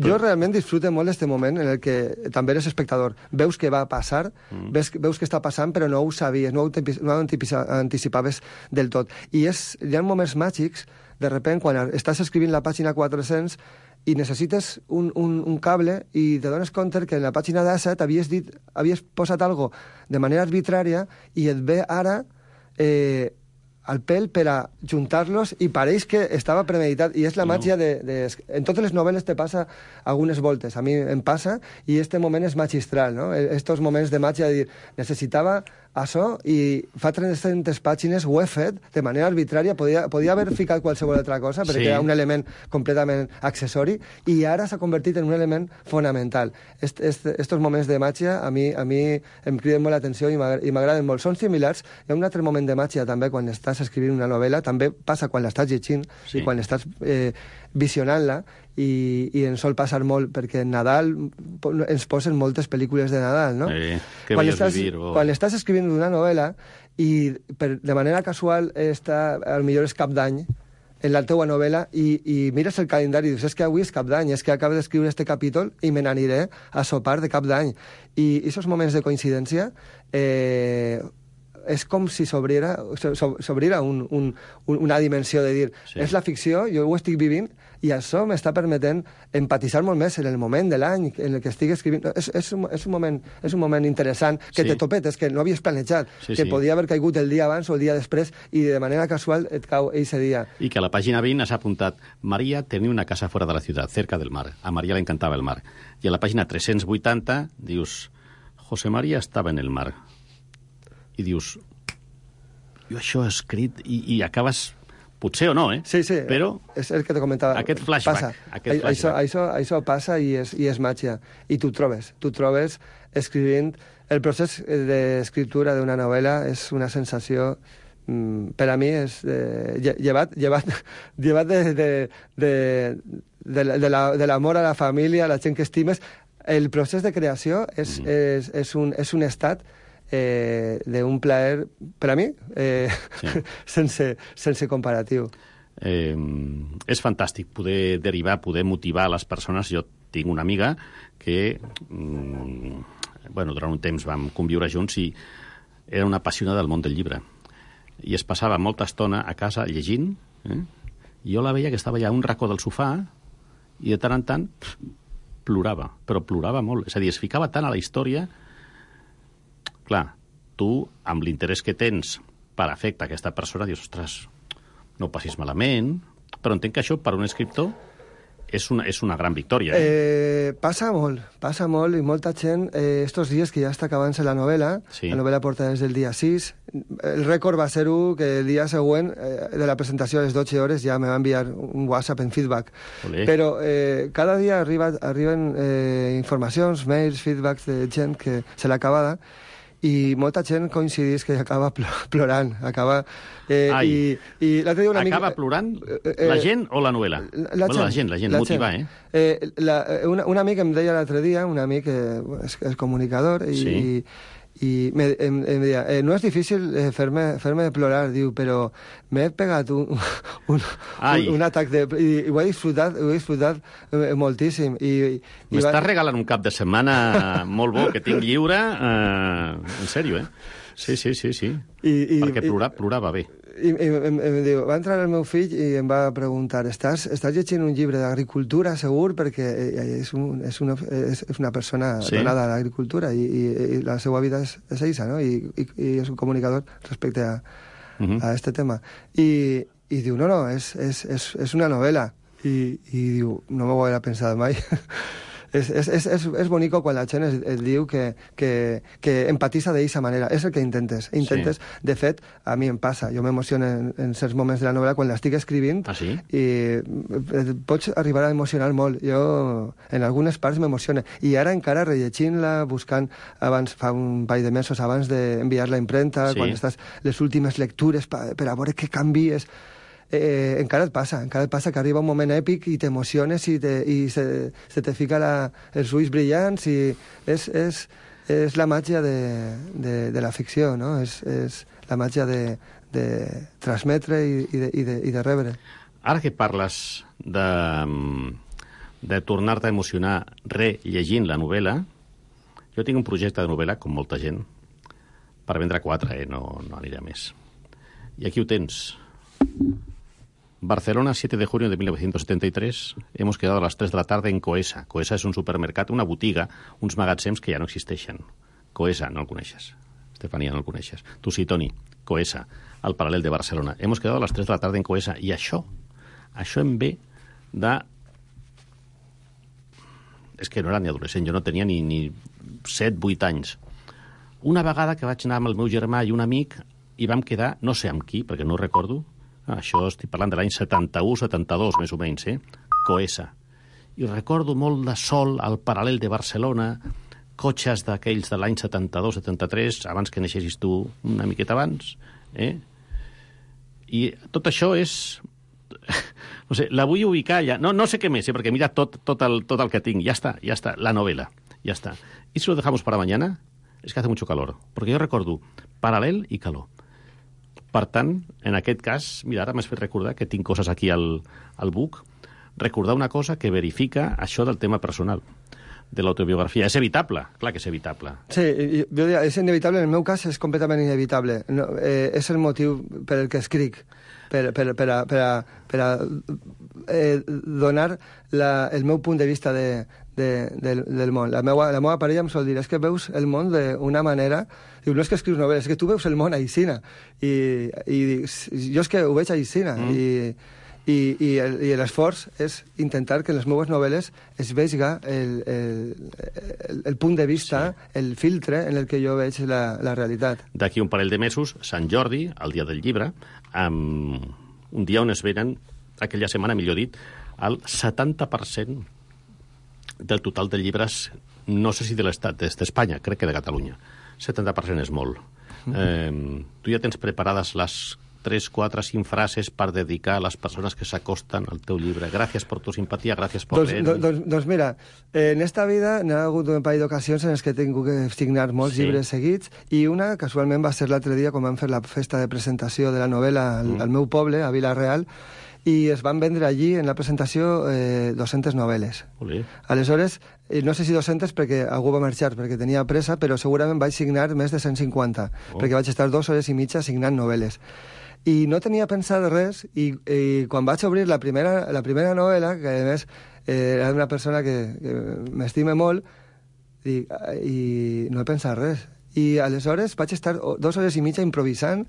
Jo realment disfruto molt d'aquest moment en el que també eres espectador. Veus què va passar, mm. veus, veus què està passant, però no ho sabies, no ho, no ho anticipaves del tot. I és, hi ha moments màgics, de repent, quan estàs escrivint la pàgina quatre-cents i necessites un, un, un cable i te dones compte que en la pàgina disset havies, dit, havies posat algo de manera arbitrària i et ve ara eh, al pèl per a juntar-los i pareix que estava premeditat. I és la màgia de, de... En totes les novel·les te passa algunes voltes. A mi em passa i este moment és magistral, no? Estos moments de màgia de dir, necessitava això, i fa tres-centes pàgines ho he fet de manera arbitrària, podia, podia haver ficat qualsevol altra cosa, perquè sí. Era un element completament accessori, i ara s'ha convertit en un element fonamental. Est, est, estos moments de màgia a mi, a mi em criden molt l'atenció i m'agraden molt. Són similars. Hi ha un altre moment de màgia també quan estàs escrivint una novel·la, també passa quan l'estàs llegint sí. I quan estàs eh, visionant-la, i, i ens sol passar molt, perquè en Nadal ens posen moltes pel·lícules de Nadal, no? Eh, que quan, vayas estàs, vivir, oh. quan estàs escrivint una novel·la i per, de manera casual està, al millor és cap d'any, en la teua novel·la, i, i mires el calendari i dius, és que avui és cap d'any, és que acabo d'escriure este capítol i me n'aniré a sopar de cap d'any. I aquests moments de coincidència eh, és com si s'obrira un, un, una dimensió de dir, sí. És la ficció, jo ho estic vivint, i això m'està permetent empatitzar molt més en el moment de l'any en el que estic escrivint. És, és, un, és, un, moment, és un moment interessant que sí. Te topetes, que no havies planejat, sí, que sí. Podia haver caigut el dia abans o el dia després, i de manera casual et cau eixe dia. I que a la pàgina vint has apuntat María tenía una casa fuera de la ciudad, cerca del mar. A María le encantaba el mar. I a la pàgina tres-cents vuitanta dius José María estaba en el mar. I dius, jo això he escrit, i, i acabes, potser o no, eh? Sí, sí, però és el que te comentava. Aquest flashback. Passa. Aquest flashback. Això, això, això passa i és, i és màgia. I tu trobes, tu trobes escrivint. El procés d'escriptura d'una novel·la és una sensació, mm, per a mi, és eh, llevat, llevat, llevat de, de, de, de, de, la, de l'amor a la família, a la gent que estimes. El procés de creació és, mm. és, és, un, és un estat Eh, d'un plaer, per a mi, eh, sí. sense, sense comparatiu. Eh, és fantàstic poder derivar, poder motivar les persones. Jo tinc una amiga que, mm, bueno, durant un temps vam conviure junts i era una apassionada del món del llibre. I es passava molta estona a casa llegint, eh? I jo la veia que estava allà a un racó del sofà i de tant en tant pff, plorava, però plorava molt. És a dir, es ficava tant a la història. Clar, tu, amb l'interès que tens per afectar aquesta persona, dius, ostres, no ho passis malament, però entenc que això, per un escriptor, és una, és una gran victòria. Eh? Eh, passa molt, passa molt, i molta gent, eh, estos dies que ja està acabant-se la novel·la, sí. La novel·la porta des del dia sis, el rècord va ser-ho que el dia següent eh, de la presentació a les dotze hores ja me va enviar un WhatsApp en feedback. Olé. Però eh, cada dia arriba, arriben eh, informacions, mails, feedbacks de gent que se l'ha acabada, i molta gent coincidís que acaba plorant, acaba... Eh, Ai, i, i l'altre dia una acaba amic... plorant eh, la gent o la novel·la? La, bueno, la gent, la gent, la motivar, gent. eh? eh la, una, un amic em deia l'altre dia, un amic que és, és comunicador, i, sí. i, i me, em, em deia, eh, no és difícil eh, fer-me fer-me plorar, diu, però m'he pegat un, un, un, un atac de... I, i ho he disfrutat, ho he disfrutat eh, moltíssim. M'estàs va... regalant un cap de setmana molt bo que tinc lliure, eh, en sèrio, eh? Sí, sí, sí, sí. I, i, perquè plorar, plorar va bé. I, i em, em diu, va entrar el meu fill i em va preguntar, estàs, estàs llegint un llibre d'agricultura, segur? Perquè és, un, és, una, és, és una persona sí. donada a l'agricultura i, i, i la seva vida és, és eixa, no? I, i, i és un comunicador respecte a, uh -huh. a este tema. I, i diu, no, no, és, és, és, és una novel·la. I, i diu, no m'ho havia pensat mai. És, és, és, és, és bonico quan la gent es, et diu que, que, que empatitza d'aquesta manera. És el que intentes. Intentes, sí. De fet, a mi em passa. Jo m'emociono en, en certs moments de la novel·la quan l'estic escrivint. Ah, sí? I pots arribar a emocionar molt. Jo, en algunes parts, m'emociona. I ara encara rellegint-la, buscant, abans fa un parell de mesos, abans d'enviar-la a impremta, sí. Quan estàs les últimes lectures per, per a veure què canvies... Eh, encara et passa, encara et passa que arriba un moment èpic i t'emociones i, te, i se, se te fica la, els ulls brillants, i és, és, és la màgia de, de, de la ficció, no? És, és la màgia de, de transmetre i, i, de, i, de, i de rebre. Ara que parles de, de tornar-te a emocionar rellegint la novel·la, jo tinc un projecte de novel·la, com molta gent, per vendre quatre, eh? no, no anirà més. I aquí ho tens. Barcelona, siete de junio de mil novecientos setenta y tres. Hemos quedado a las tres de la tarde en Coesa. Coesa és un supermercat, una botiga, uns magatzems que ja no existeixen. Coesa, no el coneixes. Estefania, no el coneixes. Tu sí, Toni. Coesa, al paral·lel de Barcelona. Hemos quedado a las tres de la tarde en Coesa. I això, això em ve de... És que no era ni adolescent, jo no tenia ni, ni set, vuit anys. Una vegada que vaig anar amb el meu germà i un amic i vam quedar, no sé amb qui, perquè no ho recordo, ah, això estic parlant de l'any setanta-u setanta-dos, més o menys, eh? Coesa. I recordo molt de sol al paral·lel de Barcelona, cotxes d'aquells de l'any setanta-dos setanta-tres, abans que neixessis tu una miqueta abans, eh? I tot això és... No sé, la vull ubicar ja. No, no sé què més, eh, perquè mira tot, tot, el, tot el que tinc. Ja està, ja està, la novela. Ya está. ¿Y si lo dejamos para mañana? Es que hace mucho calor. Porque jo recordo paral·lel i calor. Per tant, en aquest cas, mira, ara m'has fet recordar que tinc coses aquí al, al buc, recordar una cosa que verifica això del tema personal, de l'autobiografia. És evitable, clar que és evitable. Sí, jo diria, és inevitable, en el meu cas és completament inevitable. No, eh, és el motiu per el que escric, per, per, per, a, per, a, per a eh, donar la, el meu punt de vista de, de, del, del món. La meva, la meva parella em sol dir, és que veus el món d'una manera... Diu, no és que escrius novel·les, és que tu veus el món aixina. I, i dic, jo és que ho veig aixina. Mm. I, i, i, el, i l'esforç és intentar que en les meves novel·les es vegi el, el, el, el punt de vista, sí. el filtre en el que jo veig la, la realitat. D'aquí un parell de mesos, Sant Jordi, el dia del llibre, amb un dia on es venen, aquella setmana, millor dit, el setanta per cent del total de llibres, no sé si de l'estat, d'Espanya, crec que de Catalunya. setanta per cent és molt. Mm-hmm. Eh, tu ja tens preparades les tres, quatre, cinc frases per dedicar a les persones que s'acosten al teu llibre. Gràcies per tu simpatia, gràcies per doncs, leer. Doncs, doncs mira, eh, en esta vida n'ha hagut un parell d'ocasions en les que he tingut que signar molts sí. llibres seguits, i una, casualment, va ser l'altre dia quan vam fer la festa de presentació de la novel·la al, mm. al meu poble, a Vila-real, i es van vendre allí, en la presentació, eh, dues-centes novel·les. Olé. Aleshores, eh, no sé si dues-centes perquè algú va marxar perquè tenia pressa, però segurament vaig signar més de cent cinquanta, oh. perquè vaig estar dues hores i mitja signant novel·les. I no tenia pensat res, i, i quan vaig obrir la primera, la primera novel·la, que a més eh, era una persona que, que m'estime molt, i, i no he pensat res. I aleshores vaig estar dues hores i mitja improvisant,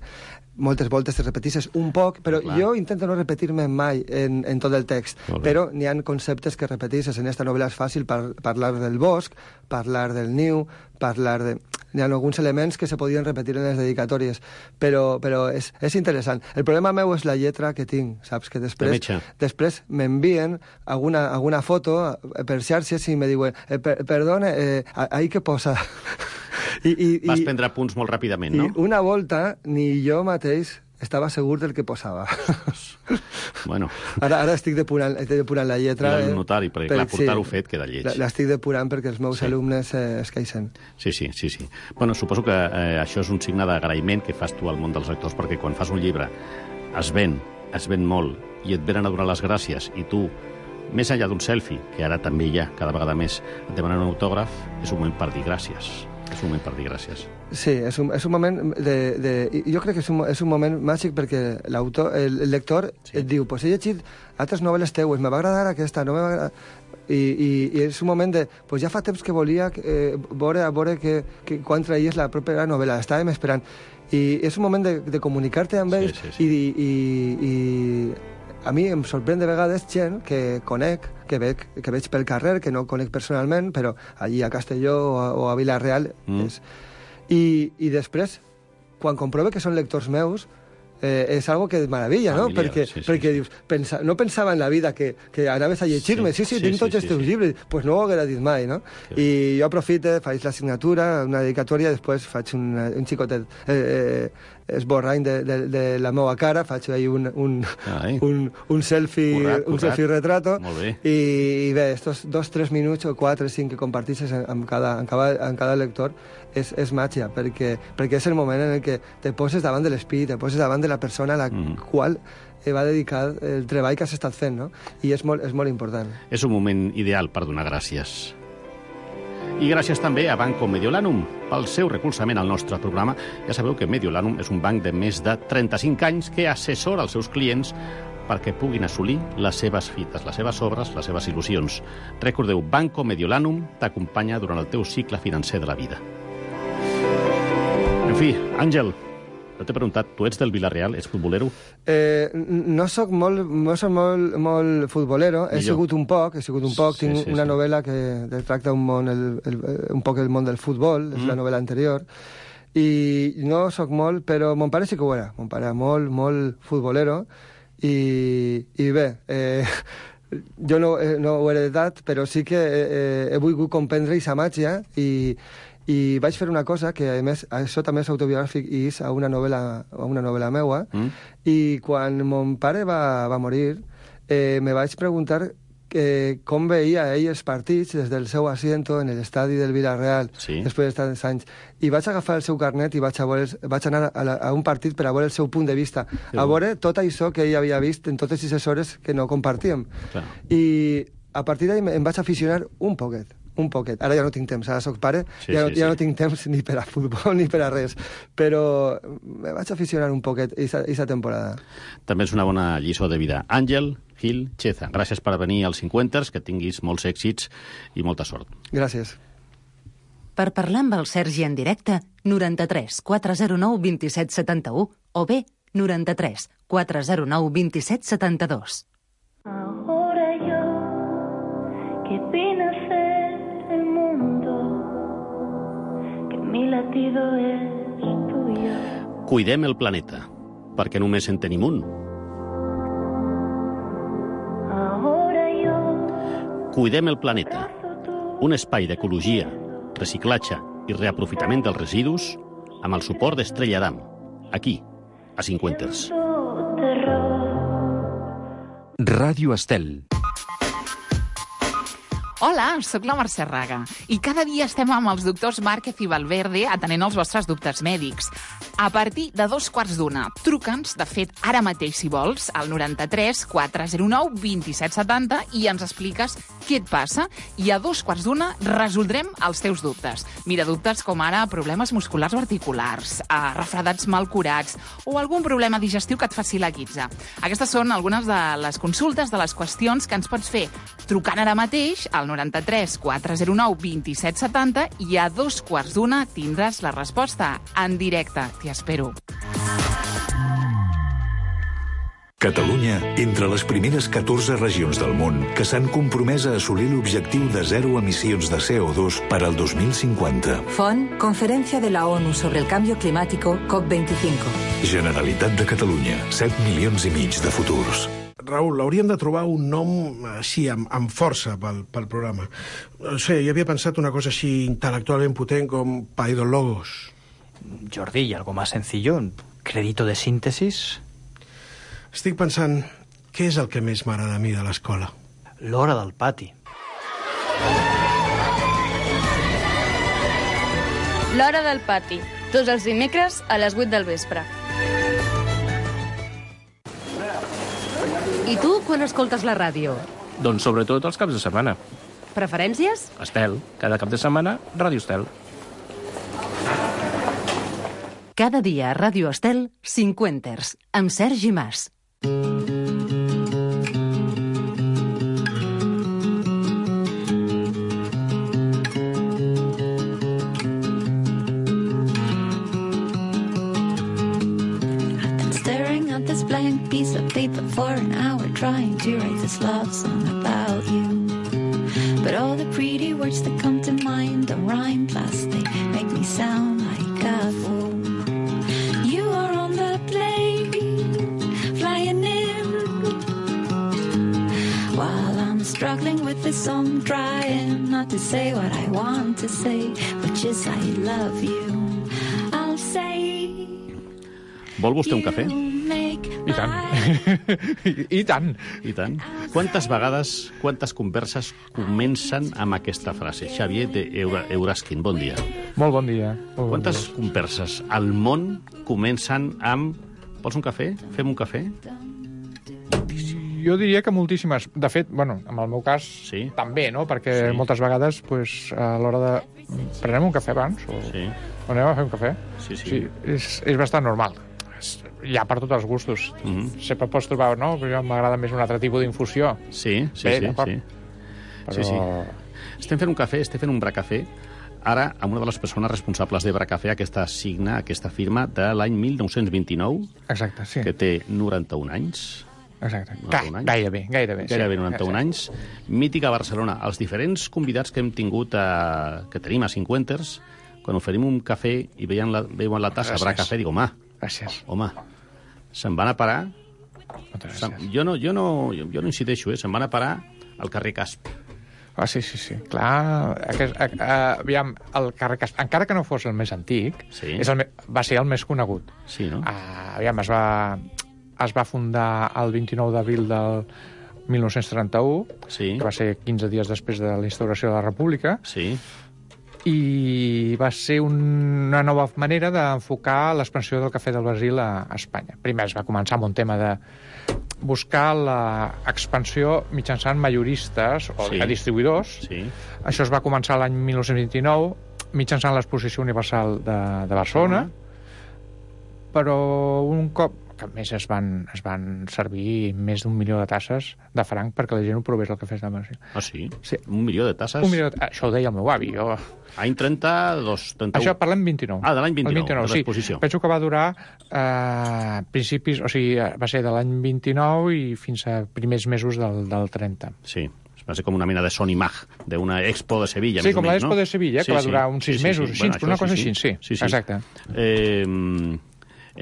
moltes voltes te repetisses un poc, però Clar. jo intento no repetir-me mai en, en tot el text, però n'hi ha conceptes que repetisses. En esta novel·la és fàcil par parlar del bosc, parlar del niu, parlar de... Hi ha alguns elements que se podien repetir en les dedicatòries, però, però és, és interessant. El problema meu és la lletra que tinc, saps? Que després, després m'envien alguna, alguna foto per xarxes i me diuen eh, per, perdona, eh, ahí què posa? I, i, Vas prendre punts molt ràpidament, no? I una volta ni jo mateix estava segur del que posava. Bueno. Ara, ara estic depurant, estic depurant la lletra. I el notari, perquè per, clar, portar-ho sí, fet queda lleig. L'estic depurant perquè els meus sí. alumnes eh, es queixen. Sí, sí, sí, sí. Bueno, suposo que eh, això és un signe d'agraïment que fas tu al món dels lectors, perquè quan fas un llibre es ven, es ven molt, i et venen a donar les gràcies, i tu, més enllà d'un selfie, que ara també hi ha cada vegada més, et demanen un autògraf, és un moment per dir gràcies. És un moment per dir gràcies. Sí, és un, és un moment de, de... Jo crec que és un, és un moment màgic perquè l'autor, el, el lector sí. et diu, pues he llegit altres novel·les teues, me va agradar aquesta, no me va agradar... I, i, i és un moment de... Pues ja fa temps que volia eh, veure, a veure que, que, quan traies la propera novel·la, estàvem esperant. I és un moment de, de comunicar-te amb ells sí, sí, sí. i... i, i a mi em sorprèn de vegades gent que conec, que veig, que veig pel carrer, que no conec personalment, però allí a Castelló o a, o a Vila-real. Mm. És... I, I després, quan comprove que són lectors meus, eh, és algo que et meravella, no? Familiar, perquè sí, sí, perquè sí. dius, pensa, no pensava en la vida que, que anaves a llegir-me. Sí, sí, sí, sí tinc tots sí, els teus sí, llibres. Doncs pues no ho haguera dit mai, no? Sí. I jo aprofito, faig la signatura, una dedicatòria, després faig un, un xicotet eh, eh, esborrany de, de, de la meva cara, faig ahí un, un, un, un selfie currat, currat. un selfie retrato. I, i bé, estos dos, tres minuts o quatre, cinc que compartisses amb cada, amb cada, amb cada lector és, és màgia, perquè, perquè és el moment en el que te poses davant de l'espírit, te poses davant de la persona a la mm. qual va dedicar el treball que has estat fent, no? I és molt, és molt important. És un moment ideal per donar gràcies. I gràcies també a Banco Mediolanum pel seu recolzament al nostre programa. Ja sabeu que Mediolanum és un banc de més de trenta-cinc anys que assessora els seus clients perquè puguin assolir les seves fites, les seves obres, les seves il·lusions. Recordeu, Banco Mediolanum t'acompanya durant el teu cicle financer de la vida. En fi, Àngel, no t'he preguntat, tu ets del Vila-real, ets futbolero? Eh, no soc molt, no soc molt, molt futbolero, he sigut un poc, he sigut un poc, tinc sí, sí, una sí. novel·la que tracta un, món, el, el, un poc el món del futbol, és mm. la novel·la anterior, I no sóc molt, però mon pare sí que ho era. Mon pare era molt, molt futbolero. I, i bé, eh, jo no, eh, no ho he heredat, però sí que eh, he volgut comprendre aquesta màgia i, i vaig fer una cosa que, a més, això també és autobiogràfic i és a una novel·la, a una novel·la meua, mm. i quan mon pare va, va morir, eh, me vaig preguntar que com veia ell els partits des del seu asiento en l'estadi del Villarreal, sí. després de tants anys. I vaig agafar el seu carnet i vaig, a, veure, vaig anar a, la, a un partit per a veure el seu punt de vista, sí. a veure tot això que ell havia vist en totes aquestes hores que no compartíem. Clar. I a partir d'ahir em vaig aficionar un poquet. Un poquet. Ara ja no tinc temps, ara soc pare, sí, ja, no, sí, ja sí. no tinc temps ni per a futbol ni per a res, però me vaig aficionar un poquet aquesta temporada. També és una bona lliçó de vida. Àngel Gil Cheza, gràcies per venir als cinquanters, que tinguis molts èxits i molta sort. Gràcies. Per parlar amb el Sergi en directe, noranta-tres quatre zero nou vint-i-set setanta-u o bé noranta-tres quatre zero nou vint-i-set setanta-dos. Ahora yo que vine a ser el mundo, que mi latido es tuyo. Cuidem el planeta, perquè només en tenim un. Cuidem el planeta, un espai d'ecologia, reciclatge i reaprofitament dels residus amb el suport d'Estrella Damm, aquí, a Cinquanters. Ràdio Estel. Hola, sóc la Mercè Raga i cada dia estem amb els doctors Márquez i Valverde atenent els vostres dubtes mèdics. A partir de dos quarts d'una, truca'ns, de fet, ara mateix, si vols, al noranta-tres quatre zero nou vint-i-set setanta i ens expliques què et passa i a dos quarts d'una resoldrem els teus dubtes. Mira, dubtes com ara problemes musculars o articulars, eh, refredats mal curats o algun problema digestiu que et faci la guitza. Aquestes són algunes de les consultes, de les qüestions que ens pots fer trucant ara mateix al noranta-tres quatre zero nou vint-i-set setanta i a dos quarts d'una tindràs la resposta en directe. T'hi espero. Catalunya, entre les primeres catorze regions del món que s'han compromès a assolir l'objectiu de zero emissions de C O dos per al dos mil cinquanta. Font, Conferencia de la ONU sobre el Cambio Climático, COP veinticinco. Generalitat de Catalunya, set milions i mig de futurs. Raül, hauríem de trobar un nom així, amb, amb força pel, pel programa. No sé, jo havia pensat una cosa així intel·lectualment potent com Paidologos. Jordi, ¿y algo más sencillo? ¿Crédito de síntesis? Estic pensant, què és el que més m'agrada a mi de l'escola? L'hora del pati. L'hora del pati, tots els dimecres a les vuit del vespre. I tu, quan escoltes la ràdio? Doncs sobretot els caps de setmana. Preferències? Estel. Cada cap de setmana, Ràdio Estel. Cada dia a Ràdio Estel, Cinquanters, amb Sergi Mas. Blank piece of paper for an hour trying to write this love song about you. But all the pretty words that come to mind don't rhyme, plus they make me sound like a fool. You are on the plane, flying in, while I'm struggling with this song, trying not to say what I want to say, which is I love you. I'll say... Vol vostè un cafè? I tant. I tant. I tant. Quantes vegades, quantes converses comencen amb aquesta frase? Xavier de Euraskin, bon dia. Molt bon dia. Molt quantes bon dia. converses al món comencen amb... Vols un cafè? Fem un cafè? Jo diria que moltíssimes. De fet, bueno, en el meu cas, sí. també, no? Perquè sí. moltes vegades, pues, a l'hora de... Prenem un cafè abans? O, sí. o anem a fer un cafè? Sí, sí. sí és, és bastant normal. Hi ha per tots els gustos. Mm-hmm. Sempre pots trobar, no? Però m'agrada més un altre tipus d'infusió. Sí, sí, Bé, sí. sí. Però... sí, sí. Estem fent un cafè, estem fent un bracafè, ara amb una de les persones responsables de Bracafè, aquesta signa, aquesta firma de l'any mil nou-cents vint-i-nou. Exacte, sí. Que té noranta-un anys. Exacte. noranta-un anys. Gairebé, gairebé. Gairebé sí. noranta-un anys. Mítica Barcelona. Els diferents convidats que hem tingut, a... que tenim a Cinquanters, quan oferim un cafè i veien la, veuen la tassa, habrà cafè, dic, home, gràcies. Home, se'n van a parar... Moltes jo no, jo, no, jo, jo no incideixo, eh? Se'n van a parar al carrer Casp. Ah, sí, sí, sí. Clar, aquest, a, a, aviam, el carrer Casp, encara que no fos el més antic, sí. és el, va ser el més conegut. Sí, no? Uh, aviam, es va, es va fundar el vint-i-nou d'abril del mil nou-cents trenta-u, sí. que va ser quinze dies després de la instauració de la República, sí. i va ser una nova manera d'enfocar l'expansió del cafè del Brasil a Espanya. Primer es va començar amb un tema de buscar l'expansió mitjançant majoristes o sí. distribuïdors. Sí. Això es va començar l'any mil nou-cents vint-i-nou mitjançant l'Exposició Universal de, de Barcelona, uh-huh. però un cop que a més es van, es van servir més d'un milió de tasses de franc perquè la gent ho provés el cafè de Brasil. Ah, sí? Sí. Un milió de tasses? Un milió de... Això ho deia el meu avi. Jo... Any trenta-dos, trenta-u. Això parlem vint-i-nou. Ah, de l'any vint-i-nou, vint-i-nou de l'exposició. Sí. Penso que va durar eh, principis... O sigui, va ser de l'any vint-i-nou i fins a primers mesos del, del trenta. Sí. Va ser com una mena de Sony Mag, d'una expo de Sevilla. Sí, com la l'expo no? de Sevilla, sí, que va sí. durar uns sis sí, sí, mesos, sí. així, Bueno, però una cosa sí, així, sí. sí, sí. Exacte. Eh,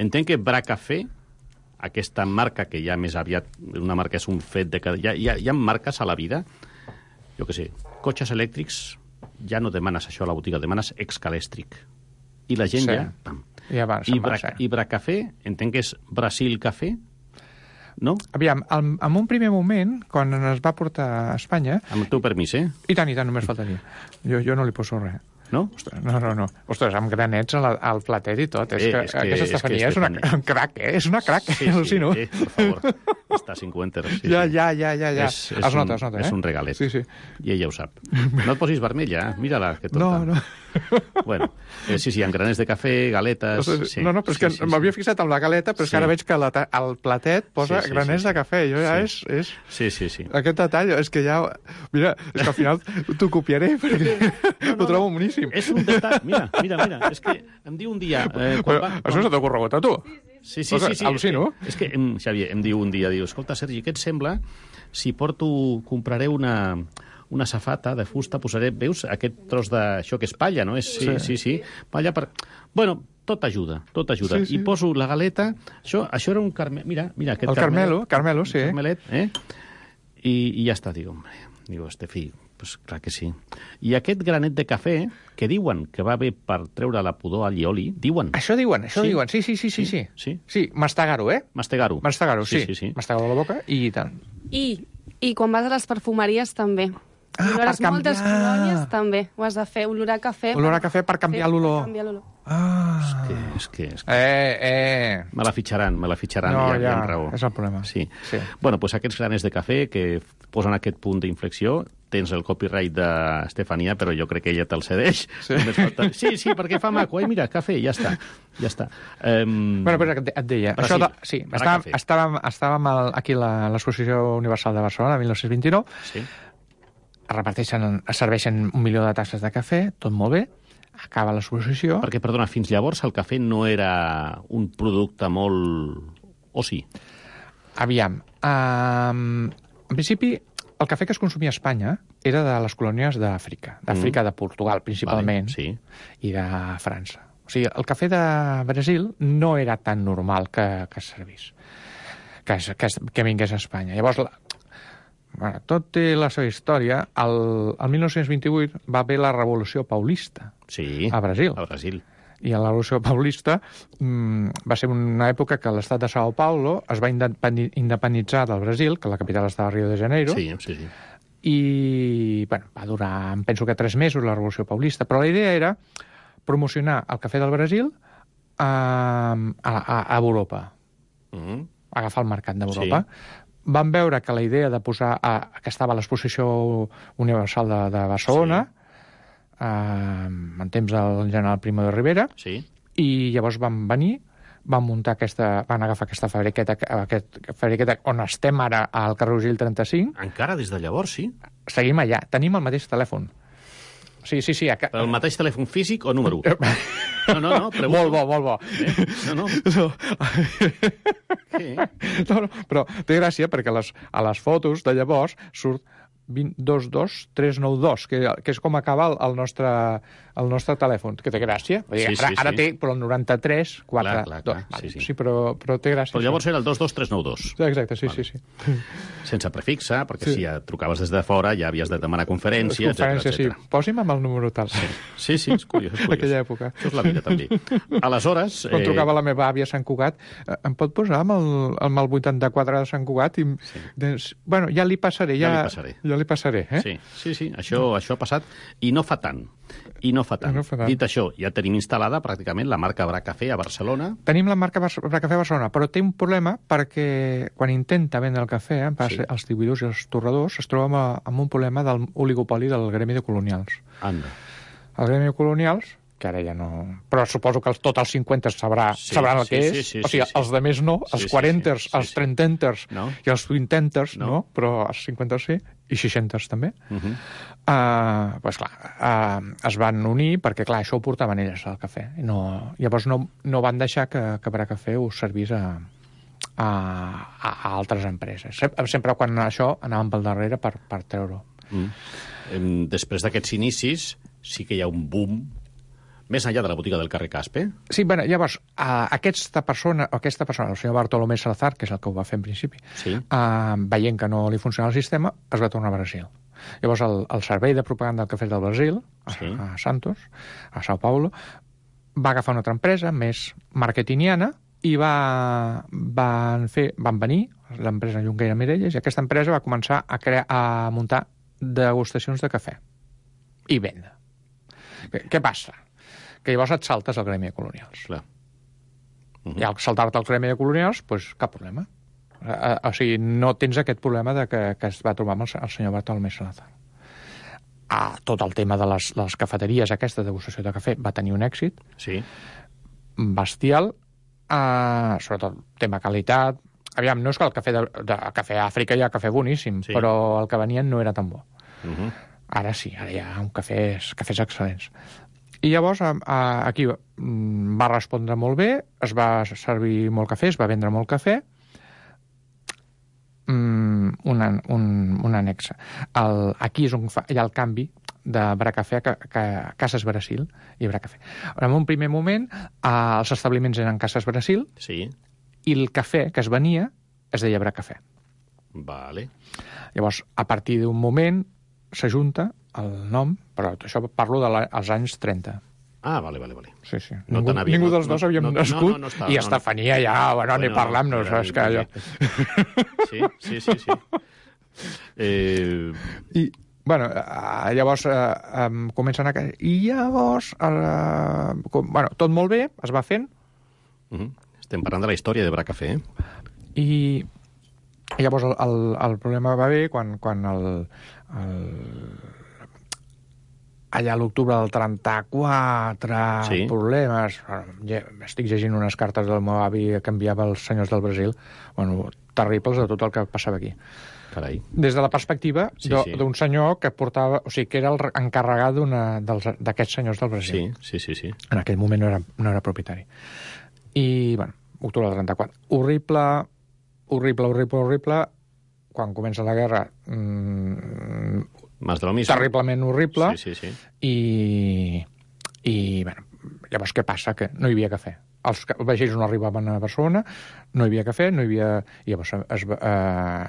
entenc que Bra Cafè, aquesta marca que ja més aviat, una marca és un fet de que hi ha, hi ha, hi ha marques a la vida, jo què sé, cotxes elèctrics, ja no demanes això a la botiga, demanes excalèstric. I la gent sí. ja... Pam. I, va, I, Bra, I Bra Cafè, entenc que és Brasil Cafè, no? Aviam, al, en un primer moment, quan es va portar a Espanya... Amb el teu permís, eh? I tant, i tant, només faltaria. Jo, jo no li poso res. No? Ostres, no, no, no. Ostres, amb granets al, al platet i tot. És eh, que, és que aquesta Estefania és, és una un crac, eh? És una crac, sí, eh? Sí, eh, per favor. Està a cinquanta. Sí, ja, sí. ja, ja, ja, ja. És, és, es nota, un, es nota, eh? És un regalet. Sí, sí. I ella ho sap. No et posis vermella, mira-la, que tota. No, no. Bueno, eh, sí, sí, amb graners de cafè, galetes... Sí, no, no, però és que sí, sí, m'havia sí. fixat amb la galeta, però és sí. que ara veig que la, el platet posa sí, sí, graners sí, sí. de cafè. Jo ja sí. és, és... Sí, sí, sí. Aquest detall, és que ja... Mira, és que al final t'ho copiaré, perquè no, no, ho trobo boníssim. És un detall... Mira, mira, mira, és que em diu un dia... Eh, quan va, quan... Això se t'ha corregut a tu? Sí, sí, sí. sí Al·lucino. És que, és que em, Xavier, em diu un dia, diu, escolta, Sergi, què et sembla si porto... compraré una... una safata de fusta, posaré, veus, aquest tros d'això que és palla, no? És, sí, sí, sí, sí, palla per... Bueno, tot ajuda, tot ajuda. Sí, sí. I poso la galeta, això, això era un carmel... Mira, mira, aquest el Carmelo, Carmelo, sí. Carmelet, eh? I, I ja està, digo, hombre, digo, este fill, pues clar que sí. I aquest granet de cafè, que diuen que va bé per treure la pudor al llioli, diuen... Això diuen, això sí. diuen, sí, sí, sí, sí. Sí, sí. sí mastegar-ho, eh? Mastegar-ho. Mastegar-ho, sí. sí, sí, sí. Mastegar-ho a la boca i tant. I, I quan vas a les perfumeries també. Ah, olor per canviar. Moltes colònies també. Ho has de fer, olor a cafè. Olor a cafè per canviar l'olor. Per canviar l'olor. Ah. És que, és que, és que... Eh, eh. Me la fitxaran, me la fitxaran, no, ja, ja, ja raó. És el problema. Sí. sí. Bueno, doncs aquests graners de cafè que posen aquest punt d'inflexió, tens el copyright d'Estefania, però jo crec que ella te'l cedeix. Sí. Falta... sí, sí, perquè fa maco. Ai, mira, cafè, ja està. Ja està. Um... Bueno, però et deia... Brasil, això de... Sí, estàvem, estàvem, estàvem aquí a l'Exposició Universal de Barcelona, mil nou-cents vint-i-nou. Sí. Es reparteixen, es serveixen un milió de tasses de cafè, tot molt bé, acaba l'exposició... Perquè, perdona, fins llavors el cafè no era un producte molt... o sí? Aviam, um, en principi, el cafè que es consumia a Espanya era de les colònies d'Àfrica, d'Àfrica mm. de Portugal, principalment, vale, sí. i de França. O sigui, el cafè de Brasil no era tan normal que, que es servís, que, que, que vingués a Espanya. Llavors, la, bueno, tot té la seva història. El, el mil nou-cents vint-i-vuit va haver la Revolució Paulista sí, a Brasil. A Brasil. I a la Revolució Paulista mmm, va ser una època que l'estat de Sao Paulo es va independitzar del Brasil, que la capital estava a Rio de Janeiro, sí, sí, sí. i bueno, va durar, em penso que tres mesos, la Revolució Paulista, però la idea era promocionar el cafè del Brasil a, a, a Europa, mm. agafar el mercat d'Europa. Sí. Van veure que la idea de posar... A, que estava a l'Exposició Universal de, de Barcelona, sí. eh, en temps del general Primo de Rivera, sí. i llavors van venir, van muntar aquesta... van agafar aquesta fabriqueta, aquest fabriqueta on estem ara, al carrer Urgell trenta-cinc. Encara des de llavors, sí? Seguim allà. Tenim el mateix telèfon. Sí, sí, sí. Però el mateix telèfon físic o número? No, no, no. Pregunto. Molt bo, molt bo. Eh? No, no. no. no, no. Però té gràcia perquè les, a les fotos de llavors surt vint dos dos tres nou dos, que, que és com acaba el, el nostre el nostre telèfon, que té gràcia. Vull dir, Sí, sí, ara, ara sí. té però el noranta-tres quatre Clar, clar, dos. clar, Vale, sí, sí, sí. sí. Però, però té gràcia. Però llavors era el dos dos tres nou dos. Exacte, sí, Vale. sí, sí. Sense prefixa, perquè Sí. si ja trucaves des de fora ja havies de demanar conferència, Conferència, sí. etcètera. Posi'm amb el número tal. Sí, sí, és curiós, és curiós. Aquella època. Això és la vida, també. Aleshores... Quan trucava la meva àvia a Sant Cugat, eh, em pot posar amb el, amb el vuitanta-quatre de Sant Cugat? I, sí. Doncs, bueno, ja li passaré. Ja, Ja li passaré. Ja li passaré, eh? Sí, sí, sí, això, això ha passat i no fa tant. I no fa tant. No fa tant. Dit això, ja tenim instal·lada pràcticament la marca Bra Café a Barcelona. Tenim la marca Bar Bra Cafè Barcelona, però té un problema perquè quan intenta vendre el cafè, eh, Sí. els distribuïdors i els torradors, es troba amb, amb un problema del oligopoli del gremi de colonials. Anda. El gremi de colonials, que ara ja no... Però suposo que els, tots els cinquanta sabrà, Sí, sabran el sí, que sí, és. sí, o sigui, sí, sí. els de més no, Sí, els sí, quaranters, sí, sí, els sí. trententers No. i els vintenters, No. no. Però els cinquanters sí, i seixanters també. Uh -huh. Uh, pues clar, uh, es van unir perquè, clar, això ho portaven elles, el cafè. I no, llavors no, no van deixar que, que Bra Cafè ho servís a, a, a altres empreses. Sempre, sempre quan això anaven pel darrere per, per treure-ho. Mm. Em, Després d'aquests inicis, sí que hi ha un boom més enllà de la botiga del carrer Caspe. Sí, bueno, llavors, uh, aquesta persona, aquesta persona, el senyor Bartolomé Salazar, que és el que ho va fer en principi, sí. uh, veient que no li funcionava el sistema, es va tornar a Brasil. Llavors, el, el servei de propaganda del cafè del Brasil, Sí. a, a Santos, a Sao Paulo, va agafar una altra empresa, més marketingiana, i va, van, fer, van venir l'empresa Junqueira Mirelles, i aquesta empresa va començar a, crear, a muntar degustacions de cafè i venda. Què, què passa? Que llavors et saltes al gremi de colonials. Clar. Uh -huh. I al saltar-te al gremi de colonials, doncs cap problema. Uh, o sigui, no tens aquest problema de que, que es va trobar amb el, el senyor Bartolomé Salazar. Ah, tot el tema de les, les cafeteries, aquesta degustació de cafè, va tenir un èxit sí. bestial, uh, sobretot tema qualitat. Aviam, no és que el cafè de, de cafè a Àfrica hi ha cafè boníssim, sí. però el que venien no era tan bo. Uh -huh. Ara sí, ara hi ha un cafès, cafès excel·lents. I llavors a, a, aquí va respondre molt bé, es va servir molt cafè, es va vendre molt cafè. Mm, un, un, un annex. El, aquí és on fa, hi ha el canvi de Bra Cafè a, a Cases Brasil i Bra Cafè. En un primer moment, eh, els establiments eren Cases Brasil sí. i el cafè que es venia es deia Bra Cafè. Vale. Llavors, a partir d'un moment, s'ajunta el nom, però això parlo dels anys trenta. Ah, vale, vale, vale. Sí, sí. No ningú havia, ningú no, dels dos no, havíem no, nascut no, no, no estava, i no, Estefania ja, bueno, bueno, ni parlam-nos, era, és que allò... Sí, sí, sí, sí. Eh... I, bueno, eh, llavors eh, eh, comencen a... I llavors, eh, com, bueno, tot molt bé, es va fent. Uh -huh. Estem parlant de la història de Bra Cafè, eh? I, i llavors el, el, el problema va haver quan, quan el, el allà a l'octubre del trenta-quatre, sí. problemes... Ja, estic llegint unes cartes del meu avi que enviava als senyors del Brasil, bueno, terribles de tot el que passava aquí. Carai. Des de la perspectiva sí, d'un sí. senyor que portava... O sigui, que era el encarregat d'aquests senyors del Brasil. Sí, sí, sí, sí. En aquell moment no era, no era propietari. I, bueno, octubre del trenta-quatre. Horrible, horrible, horrible, horrible. Quan comença la guerra... Mmm, Más de lo mismo. Terriblement horrible. Sí, sí, sí. I, i bueno, llavors què passa? Que no hi havia cafè. Els vaixells no arribaven a Barcelona, no hi havia cafè, no hi havia... I llavors es, eh,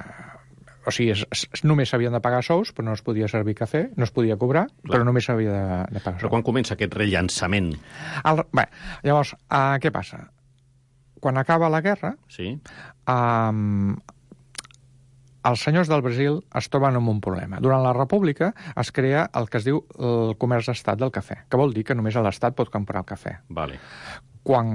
o sigui, es, es, només s'havien de pagar sous, però no es podia servir cafè, no es podia cobrar, Clar. però només s'havia de, de pagar sous. Però quan comença aquest rellançament? El, bé, llavors, eh, què passa? Quan acaba la guerra, sí. eh, els senyors del Brasil es troben amb un problema. Durant la República es crea el que es diu el comerç d'estat del cafè, que vol dir que només l'Estat pot comprar el cafè. Vale. Quan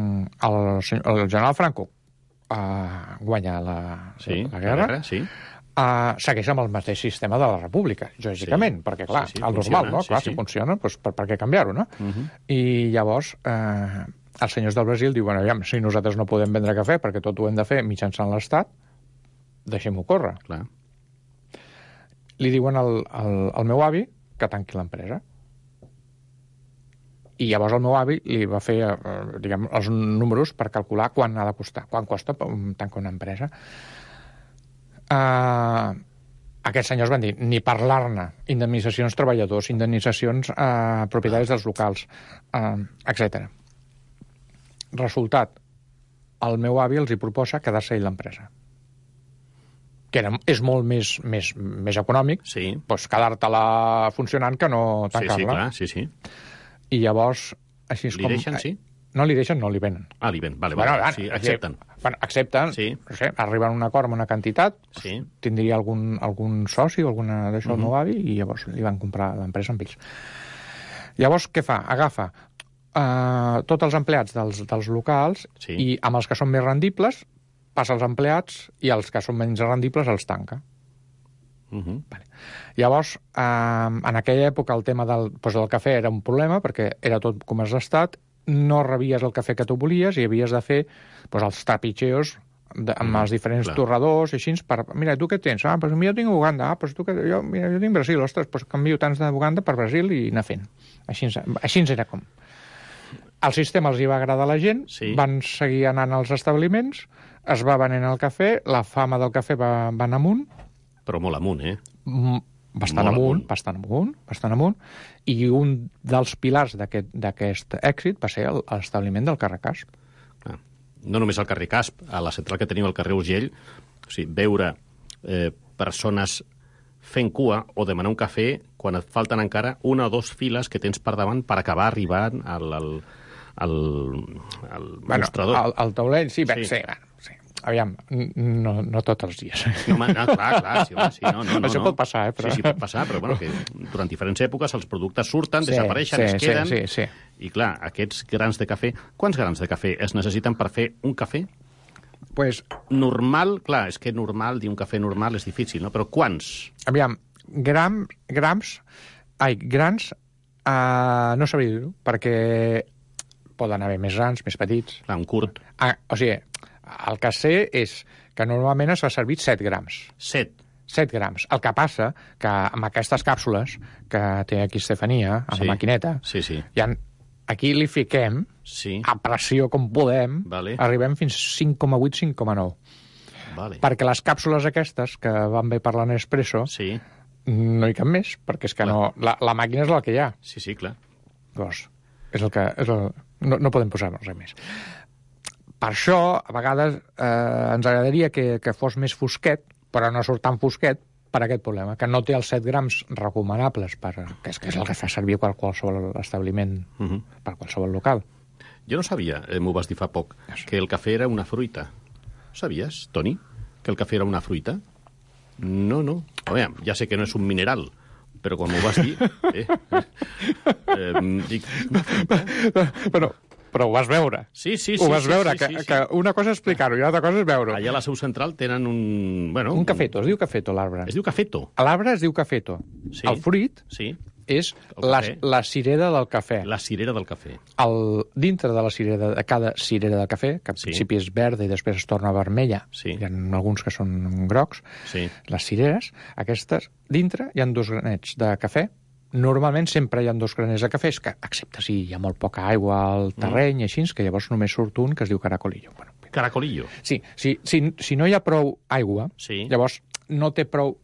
el, el general Franco uh, guanya la, sí, la guerra, la guerra sí. uh, segueix amb el mateix sistema de la República, lògicament, sí. perquè, clar, sí, sí, el normal, no? Sí, clar, sí. si funciona, doncs per, per què canviar-ho, no? Uh -huh. I llavors... Uh, els senyors del Brasil diuen, aviam, si nosaltres no podem vendre cafè perquè tot ho hem de fer mitjançant l'Estat, deixem-ho córrer. Clar. Li diuen al, al, al meu avi que tanqui l'empresa. I llavors el meu avi li va fer eh, diguem, els números per calcular quan ha de costar, quan costa tancar una empresa. Uh, Aquests senyors van dir, ni parlar-ne, indemnitzacions treballadors, indemnitzacions a eh, propietaris dels locals, eh, etcètera. Resultat, el meu avi els hi proposa quedar-se ell l'empresa. Que era, és molt més, més, més econòmic, sí. doncs quedar-te-la funcionant que no tancar-la. Sí, sí, clar, sí, sí. I llavors, així és li com... Li deixen, sí? No li deixen, no li venen. Ah, li venen, vale, bueno, vale. Sí, accepten. Bueno, accepten, sí. No sé, arriben a un acord amb una quantitat, sí. Tindria algun, algun soci o alguna d'això, uh-huh. el meu avi, i llavors li van comprar l'empresa amb ells. Llavors, què fa? Agafa uh, tots els empleats dels, dels locals sí. I amb els que són més rendibles passa els empleats i els que són menys rendibles els tanca. Uh-huh. Vale. Llavors, eh, en aquella època el tema del, doncs del cafè era un problema perquè era tot comerç d'estat, no rebies el cafè que tu volies i havies de fer doncs, els trapitxeos de, amb els diferents Clar. torradors i així, per, mira, tu què tens? Ah, doncs jo tinc Uganda, ah, doncs tu que, jo, mira, jo tinc Brasil, ostres, doncs canvio tants d'Uganda per Brasil i anar fent. Així, així era com. El sistema els hi va agradar a la gent, sí. Van seguir anant als establiments, es va venent el cafè, la fama del cafè va, va anar amunt. Però molt amunt, eh? Bastant amunt, amunt, bastant amunt, bastant amunt, i un dels pilars d'aquest èxit va ser l'establiment del carrer Casp. Ah, no només al carrer Casp, a la central que teniu al carrer Urgell, o sigui, veure eh, persones fent cua o demanar un cafè quan et falten encara una o dues files que tens per davant per acabar arribant al, al, al, al bueno, mostrador. Al, al taulell, sí, sí. sí, bueno, sí. Aviam, no, no tots els dies. No, no clar, clar, sí, home, sí, no, no, no. Això no. pot passar, eh? Però... Sí, sí, pot passar, però bueno, que durant diferents èpoques els productes surten, sí, desapareixen, sí, es queden... Sí, sí, sí. I clar, aquests grans de cafè... Quants grans de cafè es necessiten per fer un cafè? Pues... Normal, clar, és que normal, dir un cafè normal és difícil, no? Però quants? Aviam, gram, grams... Ai, grans... Uh, no sabria dir-ho, perquè poden haver més grans, més petits... Clar, un curt. Ah, o sigui... El que sé és que normalment es fa servir set grams. set? set grams. El que passa que amb aquestes càpsules que té aquí Estefania, amb sí. la maquineta, sí, sí. Ja, aquí li fiquem sí. a pressió com podem, vale. Arribem fins cinc coma vuit, cinc coma nou. Vale. Perquè les càpsules aquestes, que van bé per la Nespresso, sí. no hi cap més, perquè és que clar. no... La, la màquina és la que hi ha. Sí, sí, clar. Doncs és el que... És el, no, no podem posar res més. Per això, a vegades, eh, ens agradaria que, que fos més fosquet, però no surt tan fosquet per aquest problema, que no té els set grams recomanables, per, que, és, que és el que fa servir per qualsevol establiment, uh-huh. per qualsevol local. Jo no sabia, eh, m'ho vas dir fa poc, que el cafè era una fruita. Sabies, Toni, que el cafè era una fruita? No, no. A veure, ja sé que no és un mineral, però quan m'ho vas dir... Eh, eh, dic, una fruita? Però... Però ho vas veure. Sí, sí, sí. Ho vas sí, veure, sí, que, sí, sí. que una cosa és explicar-ho i l'altra cosa és veure-ho. Allà a la seu central tenen un... Bueno, un cafeto, es diu cafeto, l'arbre. Es diu cafeto? L'arbre es diu cafeto. Sí. El fruit sí. és la, la cirera del cafè. La cirera del cafè. El, dintre de la cirera, de cada cirera del cafè, que al sí. principi és verda i després es torna vermella, sí. hi ha alguns que són grocs, sí. les cireres, aquestes, dintre hi ha dos granets de cafè. Normalment sempre hi ha dos graners de cafè, que, excepte si hi ha molt poca aigua al terreny, mm. així, que llavors només surt un que es diu caracolillo. Bueno, caracolillo? Sí, sí, si, si no hi ha prou aigua, sí. llavors no té prou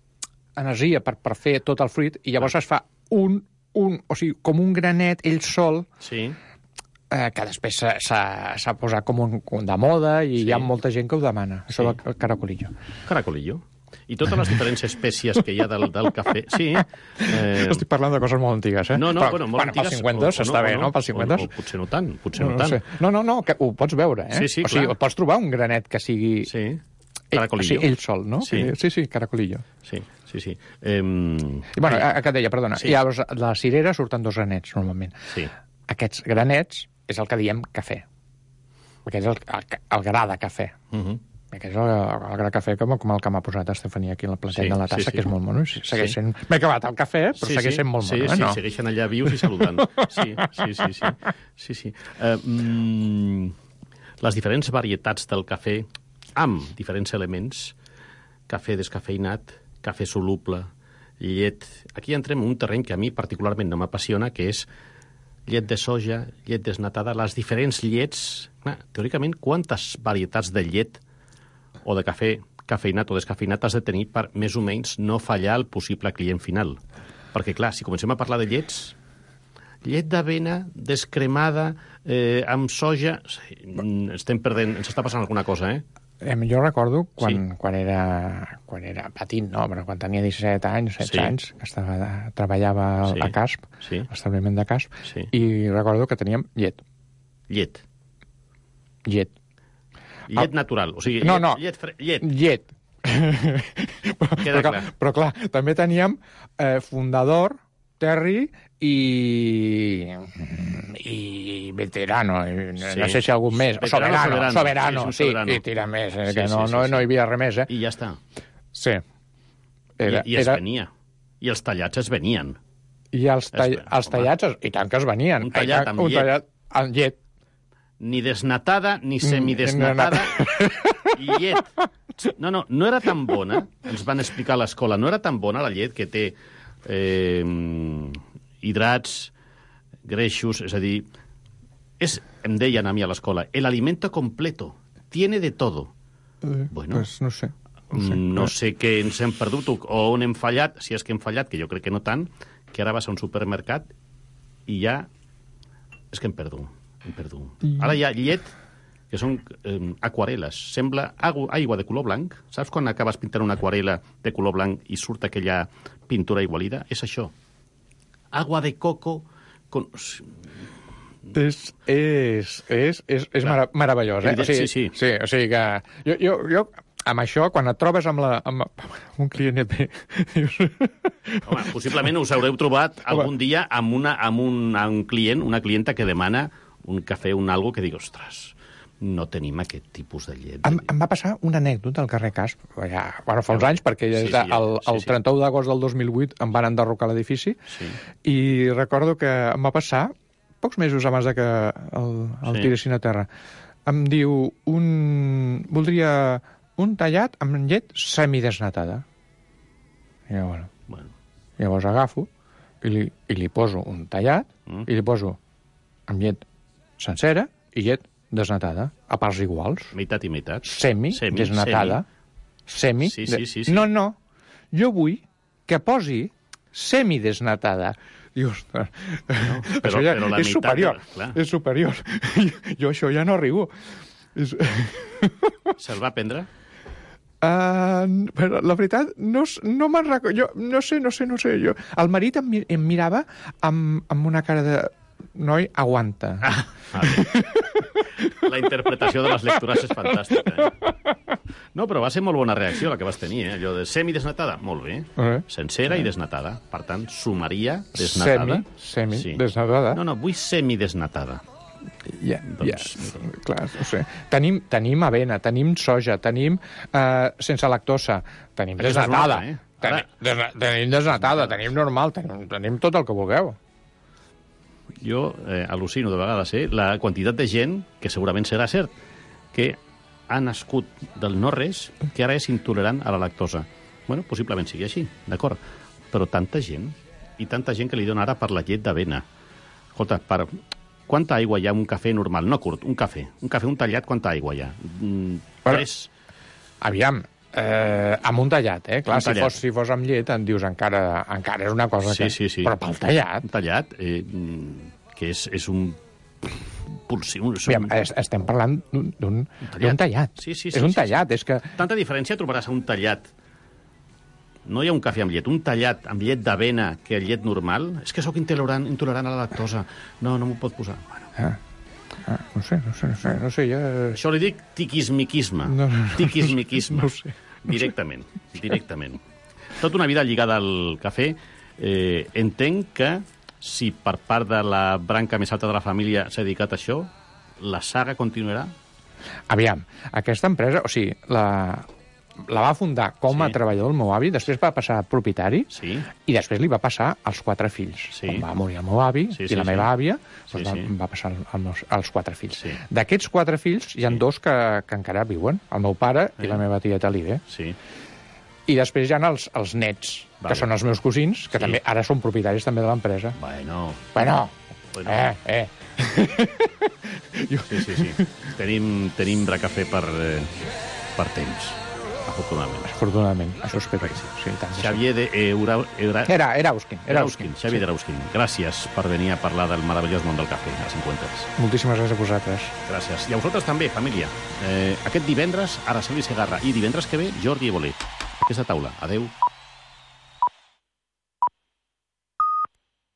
energia per, per fer tot el fruit, i llavors ah. es fa un, un, o sigui, com un granet ell sol, sí. eh, que després s'ha posat com un, un de moda, i sí. hi ha molta gent que ho demana, sí. això del caracolillo. Caracolillo? I totes les diferents espècies que hi ha del, del cafè... Sí. Eh... Estic parlant de coses molt antigues, eh? No, no, però, bueno, molt bueno, antigues... Pels cinquanta-dos està bé, no? Pels cinquanta-dos. O, o, potser no tant, potser no, no tant. No, sé. no, no, no, que ho pots veure, eh? Sí, sí, o sigui, clar. pots trobar un granet que sigui... Sí, caracolillo. Ell, o sigui, ell sol, no? Sí, sí, sí caracolillo. Sí, sí, sí. Eh... I, bueno, a, que deia, perdona, sí. Llavors, de la cirera surten dos granets, normalment. Sí. Aquests granets és el que diem cafè. Aquest és el, el, el gra de cafè. Uh -huh. Aquest és el, el gra cafè com, com el que m'ha posat Estefania aquí en la plateta sí, de la tassa, sí, sí. que és molt mono. Segueix sent... Sí. M'he acabat el cafè, però sí, segueix sent molt sí, mono. Sí, eh? no? sí, segueixen allà vius i saludant. Sí, sí, sí. sí, sí, sí. Uh, mm, les diferents varietats del cafè, amb diferents elements, cafè descafeinat, cafè soluble, llet... Aquí entrem en un terreny que a mi particularment no m'apassiona, que és llet de soja, llet desnatada, les diferents llets... Clar, teòricament, quantes varietats de llet o de cafè cafeïnat o descafeïnat has de tenir per més o menys no fallar el possible client final. Perquè, clar, si comencem a parlar de llets, llet d'avena descremada eh, amb soja, estem perdent, ens està passant alguna cosa, eh? Jo recordo quan, sí. quan, era, quan era petit, no? Però quan tenia disset anys, setze sí. anys, que estava, treballava sí. a Casp, sí. a l'establiment de Casp, sí. i recordo que teníem llet. Llet? Llet. Llet natural, o sigui, no, llet, no. llet, fre... llet. Llet. però, però, clar, però clar, també teníem eh, Fundador, Terry i, i Veterano, sí. no sé si algun més. Veterano, Soberano, Soberano, Soberano, sí, soberano. I tira més, eh, sí, que no, sí, sí, no, sí. no hi havia res més. Eh? I ja està. Sí. Era, I, i es era... venia. I els tallats es venien. I els, tall... es... els tallats, i tant que es venien. Un tallat amb un llet. Tallat amb llet. Ni desnatada, ni semidesnatada, i llet. No, no, no era tan bona, ens van explicar a l'escola, no era tan bona la llet que té eh, hidrats, greixos, és a dir, és, em deien a mi a l'escola, el alimento completo, tiene de todo. Eh, bueno, pues no sé. No sé, no sé què ens hem perdut o on hem fallat, si és que hem fallat, que jo crec que no tant, que ara vas a un supermercat i ja és que em perdo. Em perdo. Ara hi ha llet que són eh, aquarel·les. Sembla aigua de color blanc. Saps quan acabes pintant una aquarel·la de color blanc i surt aquella pintura igualida? És això. Agua de coco... Con... És, és, és, és, és mara meravellós, eh? O sigui, sí, sí. sí, o sigui que... Jo, jo, jo amb això, quan et trobes amb, la, amb, amb un client et ve... Home, possiblement us haureu trobat algun dia amb, una, amb, un, amb un client, una clienta que demana un cafè, un algo, que dic, ostres, no tenim aquest tipus de llet. Em, em va passar una anècdota al carrer Casp, ja, bueno, fa uns anys, perquè sí, sí, ja, el, el sí, sí. trenta-u d'agost del dos mil vuit em van enderrocar l'edifici, sí. i recordo que em va passar, pocs mesos abans de que el, el sí. tiressin a terra, em diu, un, voldria un tallat amb llet semidesnatada. I jo, bueno, bueno. Llavors agafo i li, i li poso un tallat, mm. i li poso amb llet sencera i llet desnatada, a parts iguals. Meitat i meitat. Semi, semi desnatada. Semi. semi. Sí, sí, sí, sí. No, no. Jo vull que posi semidesnatada. Diu, ostres, no, però, això ja però la és meitat, superior. Clar. És superior. Jo això ja no arribo. És... Se'l va prendre? Uh, però la veritat, no, no me'n recordo. Jo no sé, no sé, no sé. Jo... El marit em, em mirava amb, amb una cara de... Noi, aguanta. Ah, vale. La interpretació de les lectures és fantàstica. Eh? No, però va ser molt bona reacció la que vas tenir, eh? Allò de semidesnatada, molt bé. Uh-huh. Sencera uh-huh. i desnatada. Per tant, sumaria desnatada. Semi, semi sí. desnatada. No, no, vull semidesnatada. Ja, doncs... ja, clar, no sé. Tenim, tenim avena, tenim soja, tenim uh, sense lactosa, tenim desnatada. Una, eh? Ara... Tenim, tenim desnatada, tenim normal, tenim, tenim tot el que vulgueu. Jo eh, al·lucino de vegades eh, la quantitat de gent, que segurament serà cert, que ha nascut del no-res, que ara és intolerant a la lactosa. Bueno, possiblement sigui així, d'acord. Però tanta gent, i tanta gent que li dona ara per la llet d'avena. Escolta, per... quanta aigua hi ha en un cafè normal? No curt, un cafè. Un cafè, un tallat, quanta aigua hi ha? Mm, tres... Aviam, eh, amb un tallat, eh? Clar, si fos, si fos amb llet, en dius encara, encara és una cosa sí, que... Sí, sí. Però pel tallat... Un tallat, eh, que és, és un... Pulsi, un, Aviam, un... estem parlant d'un tallat. tallat. Sí, sí, sí, és un sí, tallat, sí. és que... Tanta diferència trobaràs a un tallat. No hi ha un cafè amb llet. Un tallat amb llet d'avena que el llet normal. És que sóc intolerant, intolerant a la lactosa. No, no m'ho pot posar. Bueno. Ah. Ah, no sé, no sé, no sé, no sé, ja... Això li dic tiquismiquisme. No, no, no, tiquismiquisme. No sé. No directament, sé. directament. Tota una vida lligada al cafè. Eh, entenc que si per part de la branca més alta de la família s'ha dedicat a això, la saga continuarà? Aviam, aquesta empresa, o sigui, la, la va fundar com a sí. treballador el meu avi, després va passar a propietari sí. i després li va passar als quatre fills. Sí. Quan va morir el meu avi sí, sí, i la meva sí. àvia, doncs sí, va, sí. va passar als, als quatre fills. Sí. D'aquests quatre fills hi ha sí. dos que, que encara viuen, el meu pare sí. i la meva tieta Live. Sí. I després hi ha els, els nets, vale. que són els meus cosins, que sí. també ara són propietaris també de l'empresa. Bueno. Bueno. bueno. Eh, eh. jo... Sí, sí, sí. Tenim, tenim bracafè per, eh, per temps. afortunadament. Afortunadament, això espero que sí. sí tant, Xavier de Eura... Eura... Era, Erauskin. Erauskin, Xavier sí. Erauskin. Gràcies per venir a parlar del meravellós món del cafè a cinquanta. Moltíssimes gràcies a vosaltres. Gràcies. I a vosaltres també, família. Eh, aquest divendres, Araceli Segarra. I divendres que ve, Jordi Evoler. Aquesta taula. Adeu.